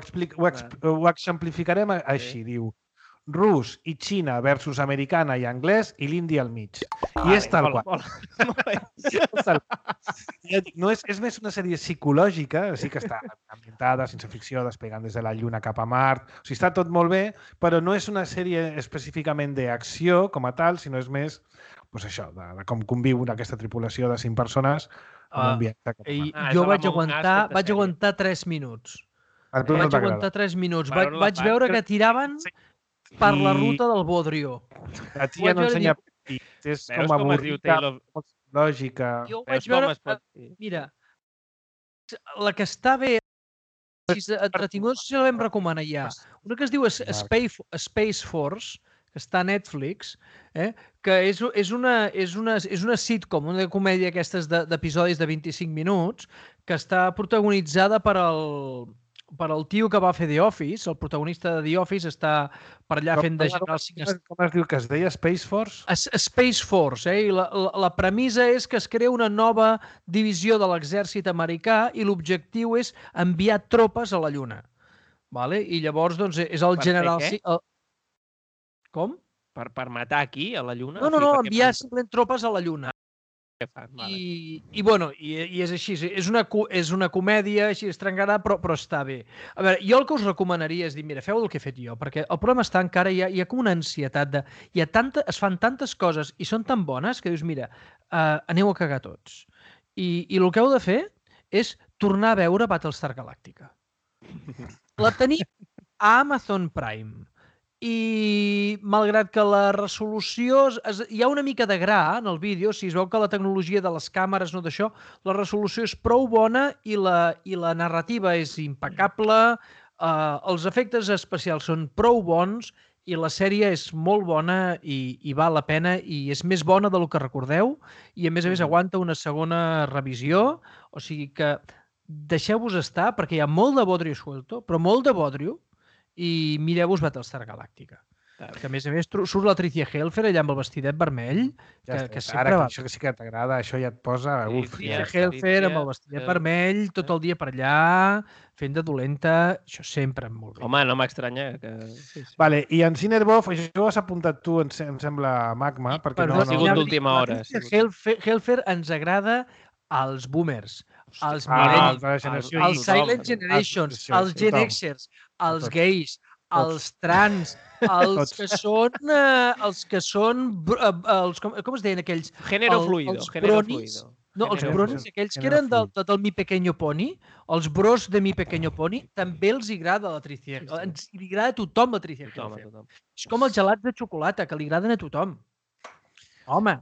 exemplificarem així, diu, rus i Xina versus americana i anglès i l'indi al mig. I és tal qual. No, és més una sèrie psicològica, sí que està ambientada, sense ficció, despegant des de la Lluna cap a Mart. O sigui, està tot molt bé, però no és una sèrie específicament d'acció com a tal, sinó és més això, de com conviu aquesta tripulació de 5 persones en un viatge cap a Mart. Jo vaig aguantar 3 minuts. Vaig aguantar 3 minuts. Vaig veure que tiraven per la ruta del Bodrio. La tia no ensenya pit, és com avorrida, lògica. Jo vaig veure... Mira, la que està bé, entretinguda, no sé si la vam recomanar ja. Una que es diu Space Force, que està a Netflix, que és una sitcom, una comèdia aquestes d'episodis de 25 minuts, que està protagonitzada per el tio que va fer The Office. El protagonista de The Office està per allà fent de general. Com es diu que es deia? Space Force? Space Force, i la premissa és que es crea una nova divisió de l'exèrcit americà i l'objectiu és enviar tropes a la Lluna. I llavors és el general... Com? Per matar aquí, a la Lluna? No, enviar simplement tropes a la Lluna. I és així. És una comèdia així estrangada, però està bé. A veure, jo el que us recomanaria és dir, mira, feu el que he fet jo, perquè el problema està encara, hi ha com una ansietat de... Es fan tantes coses i són tan bones que dius, mira, aneu a cagar tots. I el que heu de fer és tornar a veure Battlestar Galàctica. La tenim a Amazon Prime. I malgrat que la resolució... Hi ha una mica de gra en el vídeo, si es veu que la tecnologia de les càmeres, no d'això, la resolució és prou bona i la narrativa és impecable, els efectes especials són prou bons i la sèrie és molt bona i val la pena i és més bona del que recordeu i a més aguanta una segona revisió, o sigui que deixeu-vos estar perquè hi ha molt de bodrio suelto, però molt de bodrio, i mireu-vos Battlestar Galàctica. Que a més surt la Tricia Helfer allà amb el vestidet vermell. Ara, això que sí que t'agrada, això ja et posa... Tricia Helfer amb el vestidet vermell, tot el dia per allà, fent de dolenta, això sempre molt bé. Home, no m'estranya. Vale, i en Cinerbof, això ho has apuntat tu, em sembla, Magma, perquè no... Ha sigut d'última hora. Tricia Helfer ens agrada als boomers, als millennials, als Silent Generations, als Gen Xers, als gais, als trans, als que són, com es deien aquells? Género fluido. No, els bronis, aquells que eren del Mi Pequeño Pony, els bros de Mi Pequeño Pony, també els agrada la Tricia. Ens agrada a tothom la Tricia. És com els gelats de xocolata, que li agraden a tothom. Home.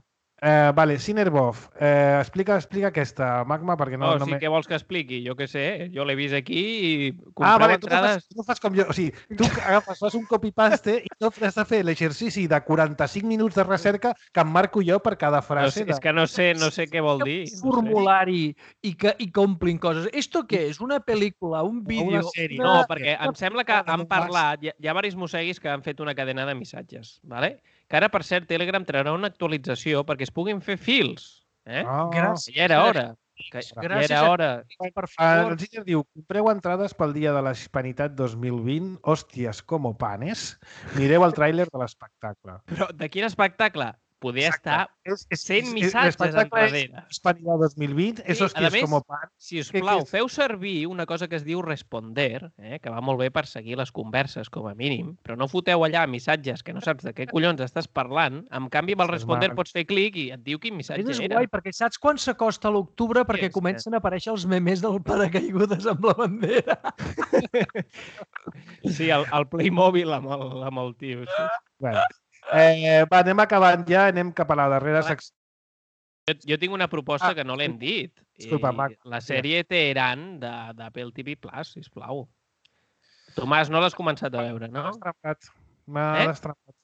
Vale, Cinerbof, explica aquesta, Magma, perquè no... Sí, què vols que expliqui? Jo què sé, jo l'he vist aquí i compreu entrades... Tu no fas com jo, o sigui, tu fas un copy-paste i no has de fer l'exercici de 45 minuts de recerca que em marco jo per cada frase. És que no sé què vol dir. Un formulari i que omplin coses. Esto què és? Una pel·lícula, un vídeo... Una sèrie. No, perquè em sembla que han parlat, hi ha diversos mosseguis que han fet una cadena de missatges, ¿vale? Que ara, per cert, Telegram traurà una actualització perquè es puguin fer fils. Gràcies. Ja era hora. Ja era hora. El Giner diu, compreu entrades pel Dia de la Hispanitat 2020, hòsties com panes, mireu el tràiler de l'espectacle. Però de quin espectacle? Poder estar 100 missatges enrere. Hispanidad 2020, és hòsties com pan. Si us plau, feu servir una cosa que es diu responder, que va molt bé per seguir les converses, com a mínim, però no foteu allà missatges que no saps de què collons estàs parlant. En canvi, amb el responder pots fer clic i et diu quin missatge era. És guai, perquè saps quan s'acosta l'octubre perquè comencen a aparèixer els memes del paracaigudes amb la bandera. Sí, el Playmobil amb el tio. Bueno. Anem acabant ja, anem cap a la darrera secció. Jo tinc una proposta que no l'hem dit. Disculpa, Mac. La sèrie Teheran d'Apple TV+, sisplau. Tomàs, no l'has començat a veure, no? M'ha destrampat.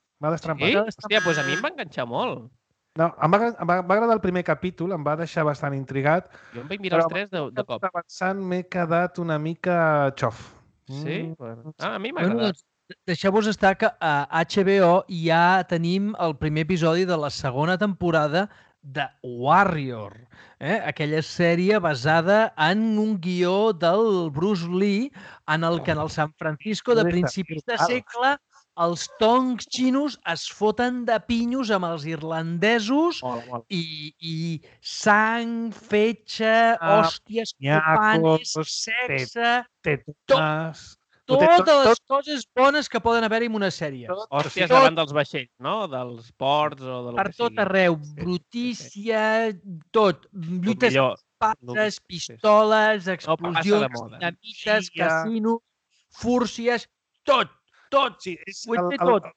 Sí? Hòstia, doncs a mi em va enganxar molt. No, em va agradar el primer capítol, em va deixar bastant intrigat. Jo em vaig mirar els 3 de cop. Avançant m'he quedat una mica xof. Sí? A mi m'ha agradat. Deixeu-vos estar que a HBO ja tenim el primer episodi de la segona temporada de Warrior, aquella sèrie basada en un guió del Bruce Lee en el que en el San Francisco de principis de segle els tongs xinos es foten de pinyos amb els irlandesos i sang, fetge, hòsties, copanes, sexe, totes les coses bones que poden haver-hi en una sèrie. Hòsties davant dels vaixells, no? Dels ports o del que sigui. Per tot arreu. Brutícia, tot. Lluites, pases, pistoles, explosions, dinamites, casino... fúrcies, tot. Sí, Ho he fet tot.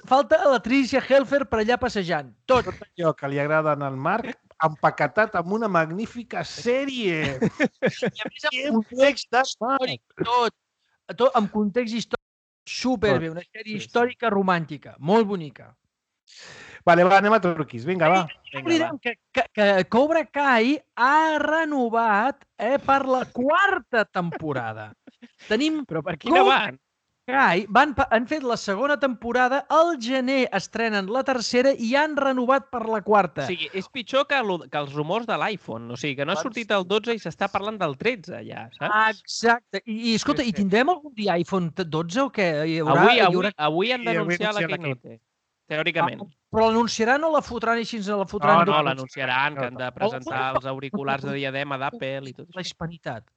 Falta la Tricia Helfer per allà passejant. Tot allò que li agrada al Marc, empaquetat amb una magnífica sèrie. I a més, amb context històric, tot amb context històric, superbé, una sèrie històrica romàntica, molt bonica. Vale, va, anem a truquis. Vinga, va. Oblidem que Cobra Kai ha renovat per la 4ª temporada. Però per quina van? Kai han fet la 2ª temporada, al gener estrenen la 3ª i han renovat per la 4ª. O sigui, és pitjor que els rumors de l'iPhone. O sigui, que no ha sortit el 12 i s'està parlant del 13 ja, saps? Exacte. I escolta, i tindrem algun dia iPhone 12 o què? Avui han d'anunciar la Keynote, teòricament. Però l'anunciaran o la fotran així? No, l'anunciaran, que han de presentar els auriculars de diadema d'Apple i tot això. La hispanitat.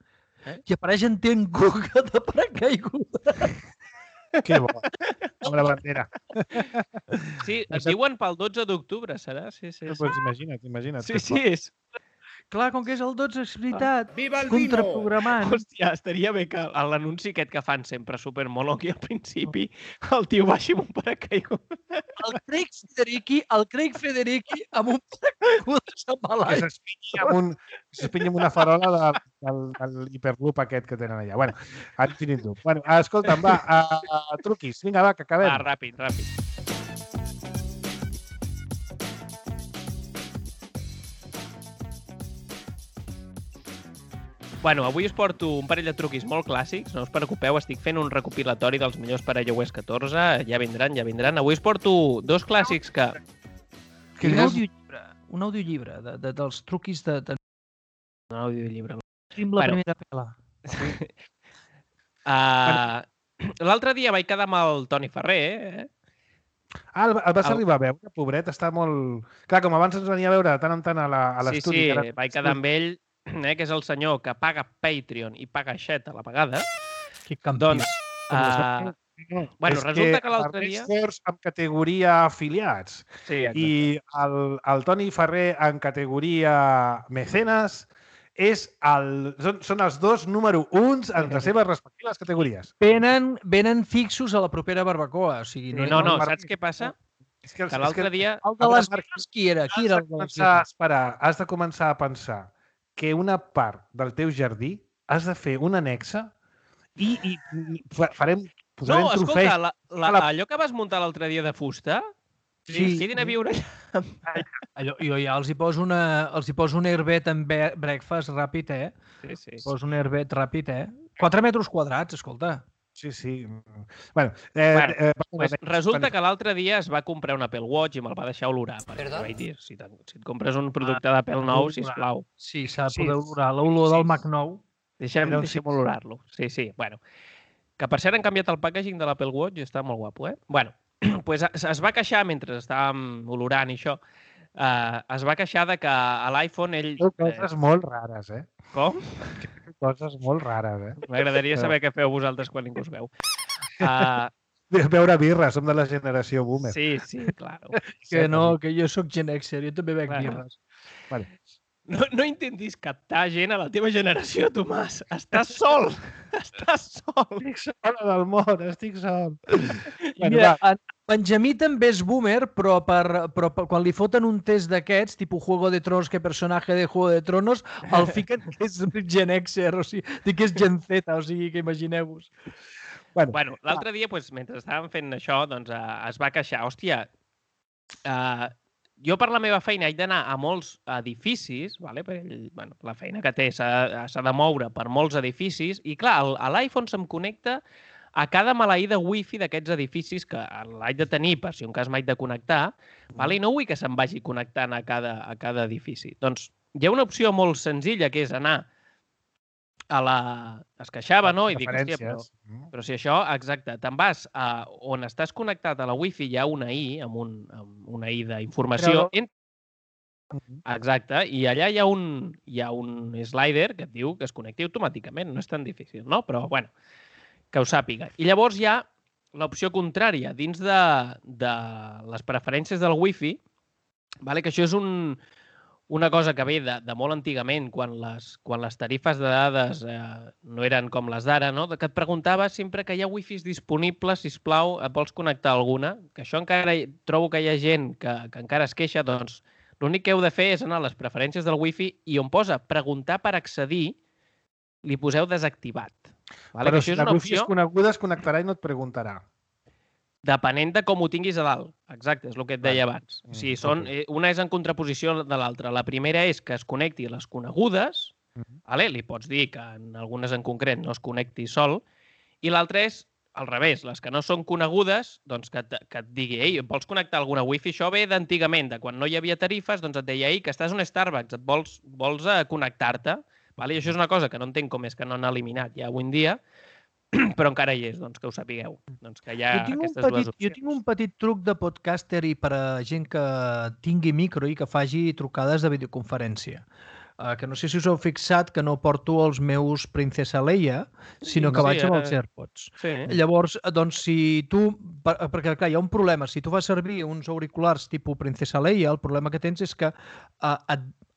I apareix en Tim Cook de paracaiguda. Que bo. Amb la bandera. Sí, et diuen pel 12 d'octubre, serà? Sí. Pues imagina't. Sí, és... Clar, com que és el 12, és veritat. Viva el vino! Contraprogramant. Hòstia, estaria bé que l'anunci aquest que fan sempre supermono aquí al principi, el tio baixi amb un paracaigudes. El Craig Federicki amb un paracaigudes amb l'aire. Que s'espinyi amb una farola del hiperloop aquest que tenen allà. Bueno, ara finit tu. Bueno, escolta'm, va, truquis. Vinga, va, que acabem. Va, ràpid. Bueno, avui us porto un parell de truquis molt clàssics, no us preocupeu, estic fent un recopilatori dels millors per a iOS 14, ja vindran. Avui us porto 2 clàssics que... Un audiollibre dels truquis de... Un audiollibre. La primera pela. L'altre dia vaig quedar amb el Toni Ferrer, el vas arribar a veure, pobret, està molt... Clar, com abans ens venia a veure tant en tant a l'estudi. Sí, vaig quedar amb ell, que és el senyor que paga Patreon i paga Xet a la vegada. Que campió. Doncs, bueno, resulta que l'altre dia... en categoria afiliats. Sí, i el Toni Ferrer en categoria mecenes són els 2 número 1 en les seves respectives categories. Venen fixos a la propera barbacoa. O sigui, no, saps què passa? Que l'altre dia... El de les birres, qui era? Has de començar a pensar que una part del teu jardí has de fer un annexe i posarem trofeis. No, escolta, allò que vas muntar l'altre dia de fusta, quedin a viure allà. Jo ja els hi poso un airbed en breakfast ràpid, Sí. Poso un airbed ràpid, 4 metres quadrats, escolta. Sí. Bueno, resulta que l'altre dia es va comprar un Apple Watch i me'l va deixar olorar. Perquè vaig dir, si et compres un producte d'Apple nou, sisplau. Sí, s'ha de poder olorar. L'olor del Mac nou. Deixem olorar-lo. Sí. Bueno, que per cert han canviat el packaging de l'Apple Watch i està molt guapo, Bueno, pues es va queixar, mentre estàvem olorant i això, es va queixar de que a l'iPhone ell... Coses molt rares, Com? Coses molt rares, M'agradaria saber què feu vosaltres quan ningú us veu. Beure birra, som de la generació boomer. Sí, claro. Que no, que jo sóc Gen Xer, jo també bec birres. Vale. No intentis captar gent a la teva generació, Tomàs. Estàs sol. Estic sol del món, estic sol. Mira, Benjamí també és boomer, però quan li foten un test d'aquests, tipus Juego de Tronos, que personatge de Juego de Tronos, el fiquen que és Gen Xer, o sigui, que és Gen Z, o sigui, que imagineu-vos. Bueno, l'altre dia, mentre estàvem fent això, doncs es va queixar. Hòstia, jo per la meva feina haig d'anar a molts edificis, perquè la feina que té s'ha de moure per molts edificis, i clar, a l'iPhone se'm connecta a cada maleïda wifi d'aquests edificis que l'haig de tenir per si un cas m'haig de connectar, i no vull que se'm vagi connectant a cada edifici. Doncs hi ha una opció molt senzilla, que és anar a la... Es queixava, no? I dic, hòstia, però si això, exacte, te'n vas a on estàs connectat a la wifi, hi ha una I, amb una I d'informació. Exacte, i allà hi ha un slider que et diu que es connecti automàticament. No és tan difícil, no? Però, bueno, que ho sàpiga. I llavors hi ha l'opció contrària, dins de les preferències del Wi-Fi, que això és una cosa que ve de molt antigament, quan les tarifes de dades no eren com les d'ara, no? Que et preguntava sempre que hi ha wifis disponibles, sisplau, et vols connectar alguna? Que això encara trobo que hi ha gent que encara es queixa, doncs l'únic que heu de fer és anar a les preferències del wifi i on posa preguntar per accedir, li poseu desactivat. Vale? Però si la wifi és coneguda, es connectarà i no et preguntarà. Depenent de com ho tinguis a dalt. Exacte, és el que et deia abans. O sigui, una és en contraposició de l'altra. La primera és que es connecti a les conegudes, vale? Li pots dir que en algunes en concret no es connecti sol, i l'altra és al revés, les que no són conegudes, doncs que et digui, ei, vols connectar alguna wifi? Això ve d'antigament, de quan no hi havia tarifes, doncs et deia, ei, que estàs a un Starbucks, vols connectar-te? Vale? I això és una cosa que no entenc com és que no han eliminat ja avui en dia, però encara hi és, doncs que ho sapigueu. Doncs que hi ha aquestes dues opcions. Jo tinc un petit truc de podcaster i per a gent que tingui micro i que faci trucades de videoconferència. Que no sé si us heu fixat que no porto els meus Princesa Leia, sinó que vaig amb els AirPods. Sí. Llavors, doncs, si tu... Perquè, clar, hi ha un problema. Si tu fas servir uns auriculars tipus Princesa Leia, el problema que tens és que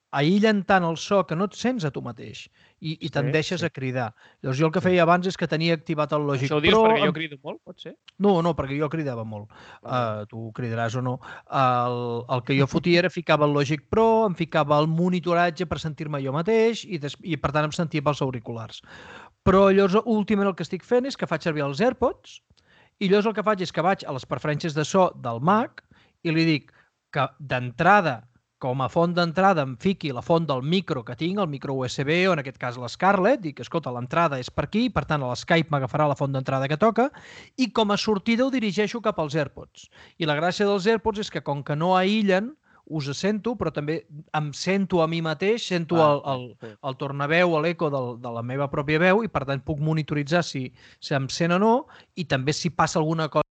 aïllen tant el so que no et sents a tu mateix i tendeixes a cridar. Llavors, jo el que feia abans és que tenia activat el Logic Pro... Això ho dius perquè jo crido molt, pot ser? No, perquè jo cridava molt. Tu cridaràs o no. El que jo fotia era ficava el Logic Pro, em ficava el monitoratge per sentir-me jo mateix i per tant em sentia pels auriculars. Però llavors, últimament el que estic fent és que faig servir els AirPods i llavors el que faig és que vaig a les preferències de so del Mac i li dic que d'entrada, com a font d'entrada em fiqui la font del micro que tinc, el micro USB o en aquest cas l'Scarlett, dic, escolta, l'entrada és per aquí, per tant a l'Skype m'agafarà la font d'entrada que toca i com a sortida ho dirigeixo cap als AirPods. I la gràcia dels AirPods és que com que no aïllen, us sento, però també em sento a mi mateix, sento el tornaveu o l'eco de la meva pròpia veu i per tant puc monitoritzar si em sent o no i també si passa alguna cosa,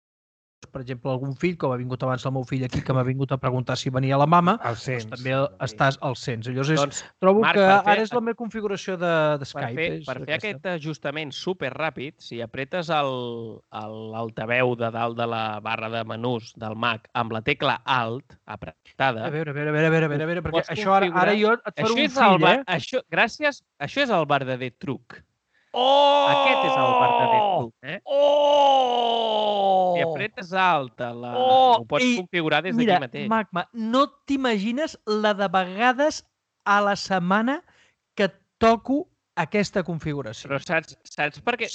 per exemple, algun fill, com ha vingut abans el meu fill aquí, que m'ha vingut a preguntar si venia la mama, doncs també al sens. Llavors, trobo que ara és la meva configuració de Skype. Per fer aquest ajustament superràpid, si apretes l'altaveu de dalt de la barra de menús del Mac amb la tecla Alt apretada... A veure, perquè això ara jo et faré un fill, eh? Gràcies, això és el verdader truc. Aquest és el verdader truc, eh? Si apretes alt, ho pots configurar des d'aquí mateix. Mira, Magma, no t'imagines la de vegades a la setmana que toco aquesta configuració. Però saps per què?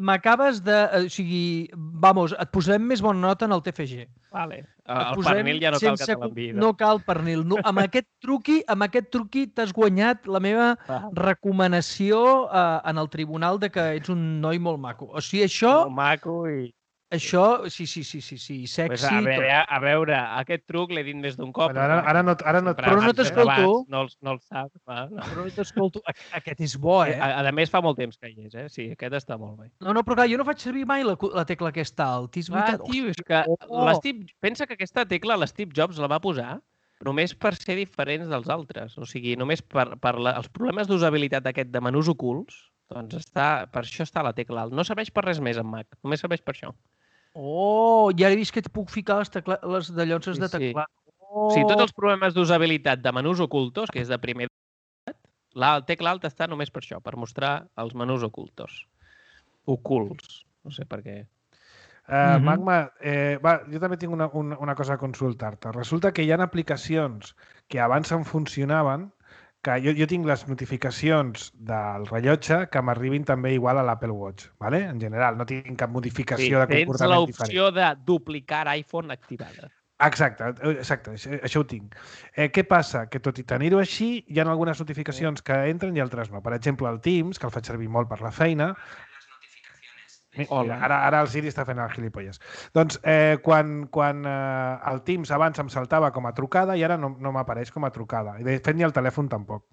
M'acabes de... O sigui, vamos, et posarem més bona nota en el TFG. Vale. El pernil ja no cal que te l'enviï. No cal pernil. No, amb aquest truqui t'has guanyat la meva recomanació en el tribunal de que ets un noi molt maco. O sigui, això... Molt maco i... Això, sí, sexy. Pues a veure, aquest truc l'he dit més d'un cop. Ara no... Però no t'escolto. No el saps. Però no t'escolto. Aquest és bo, eh? A més, fa molt temps que hi és, eh? Sí, aquest està molt bé. No, però clar, jo no faig servir mai la tecla aquesta alt. És veritat. Tio, és que pensa que aquesta tecla l'Steve Jobs la va posar només per ser diferents dels altres. O sigui, només per els problemes d'usabilitat aquest de menús ocults, doncs per això està la tecla alt. No serveix per res més en Mac, només serveix per això. I ara he vist que puc ficar les dallonses de teclat. O sigui, tots els problemes d'usabilitat de menús ocultos, que és de primer la tecla alt està només per això, per mostrar els menús ocultos. Ocults. No sé per què. Magma, jo també tinc una cosa a consultar-te. Resulta que hi ha aplicacions que abans em funcionaven, que jo tinc les notificacions del rellotge que m'arribin també igual a l'Apple Watch, ¿vale? En general, no tinc cap modificació de comportament diferent. Tens l'opció de duplicar iPhone activada. Exacte, això ho tinc. Què passa? Que tot i tenir-ho així, hi ha algunes notificacions que entren i altres no. Per exemple, el Teams, que el faig servir molt per la feina... Ara el Siri està fent el gilipolles. Doncs quan el Teams abans em saltava com a trucada i ara no m'apareix com a trucada. I de fet ni el telèfon tampoc.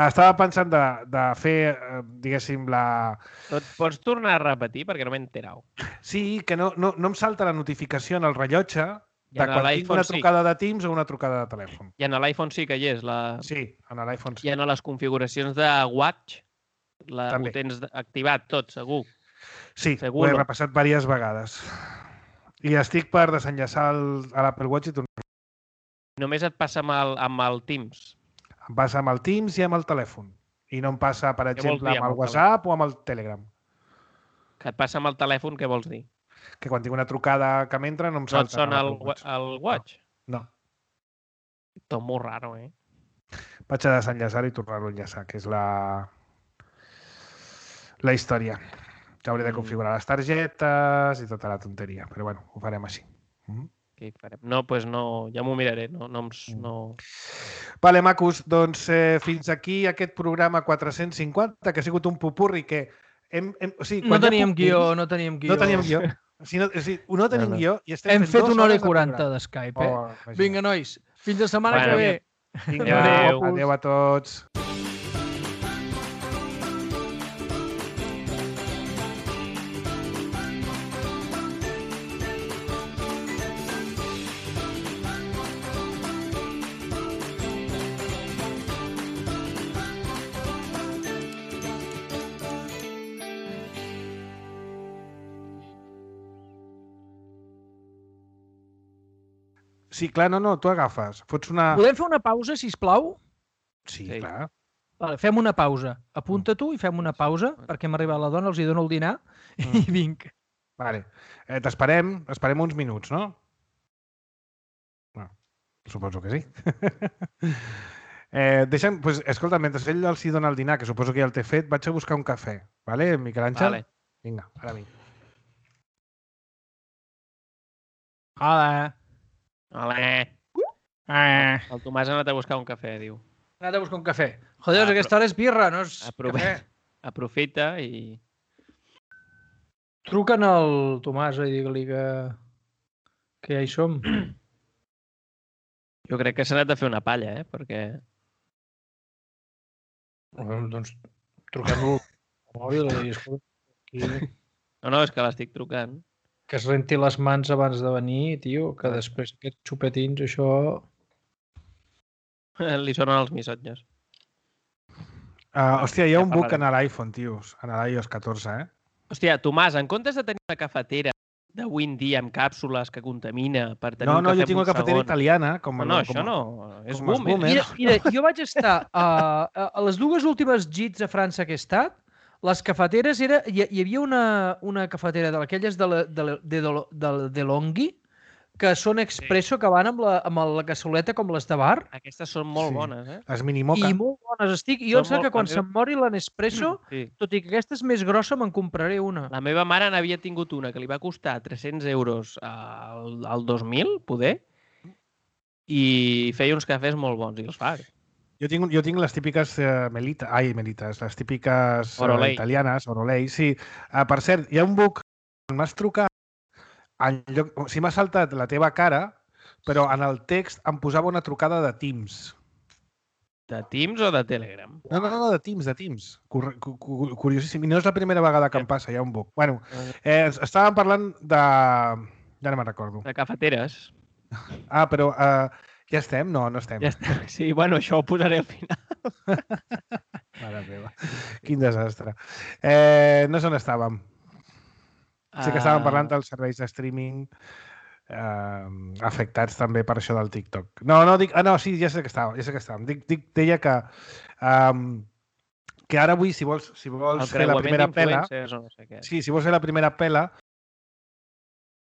Estava pensant de fer, diguéssim, la... Pots tornar a repetir perquè no m'he enterat. Sí, que no em salta la notificació en el rellotge de quan tinc una trucada de Teams o una trucada de telèfon. I en l'iPhone sí que hi és. Sí, en l'iPhone sí. I en les configuracions de Watch ho tens activat tot, segur. Sí, ho he repassat diverses vegades. I estic per desenllaçar a l'Apple Watch i tornar. Només et passa amb el Teams. Em passa amb el Teams i amb el telèfon. I no em passa, per exemple, dir amb amb el el WhatsApp o amb el Telegram. Que et passa amb el telèfon, què vols dir? Que quan tinc una trucada que m'entra no em salta. No et sona el Watch? No. Tot molt raro, eh? Vaig a desenllaçar i tornar-ho a enllaçar, que és la història. Que hauré de configurar les targetes i tota la tonteria. Però bueno, ho farem així. Què hi farem? No, doncs no, ja m'ho miraré. No. Vale, macos, doncs fins aquí aquest programa 450, que ha sigut un pupurri que... No teníem guió. No teníem guió. No tenim guió i estem Hem fet 1 hora i 40 40 d'Skype, eh? Vinga, nois. Fins la setmana que ve. Vinga, adéu a tots. Sí, clar, no, tu agafes. Fots una... Podem fer una pausa, sisplau? Sí, clar. Vale, fem una pausa. Apunta tu i fem una pausa perquè m'ha arribat la dona, els hi dono el dinar i vinc. Vale. T'esperem uns minuts, no? Suposo que sí. Deixa'm, pues, escolta, mentre ell els hi dona el dinar, que suposo que ja el té fet, vaig a buscar un cafè. Vale, Miquel Àngel? Vale. Vinga, ara vinc. Hola. El Tomàs ha anat a buscar un cafè, diu. Ha anat a buscar un cafè. Joder, aquesta hora és birra, no és cafè. Aprofita i... Truquen al Tomàs i digue-li que ja hi som. Jo crec que s'ha anat a fer una palla, perquè... Doncs truquem-lo al mòbil i escolta. No, és que l'estic trucant. Que es renti les mans abans de venir, tio, que després aquests xupetins, això... Li sonen els missatges. Hòstia, hi ha un bug en l'iPhone, tios, en l'iOS 14, eh? Hòstia, Tomàs, en comptes de tenir una cafetera de Windy amb càpsules que contamina per tenir un cafè... No, jo tinc una cafetera italiana. No, això no. És boomer. Mira, jo vaig estar a les 2 últimes gits a França que he estat. Les cafeteres hi havia una cafetera d'aquelles de Longhi que són expresso, que van amb la cassoleta com les de bar. Aquestes són molt bones, eh? Les mini moca. I molt bones estic. I jo em sembla que quan se'm mori la Nespresso, tot i que aquesta és més grossa, me'n compraré una. La meva mare n'havia tingut una que li va costar 300 euros al 2000, poder, i feia uns cafès molt bons, i els fa. Jo tinc les típiques melites, les típiques italianes, Orolei, sí. Per cert, hi ha un bug, quan m'has trucat, m'ha saltat la teva cara, però en el text em posava una trucada de Teams. De Teams o de Telegram? No, de Teams. Curiosíssim. I no és la primera vegada que em passa, hi ha un bug. Bueno, estàvem parlant de... Ja no me'n recordo. De cafeteres. Però... Ja estem? No estem. Ja estem. Sí, bueno, això ho posaré al final. Mare meva. Quin desastre. No sé on estàvem. Sí que estàvem parlant dels serveis de streaming afectats també per això del TikTok. Sí, ja sé que estàvem. Deia que ara avui, si vols fer la primera pela... No sé què. Sí, si vols fer la primera pela,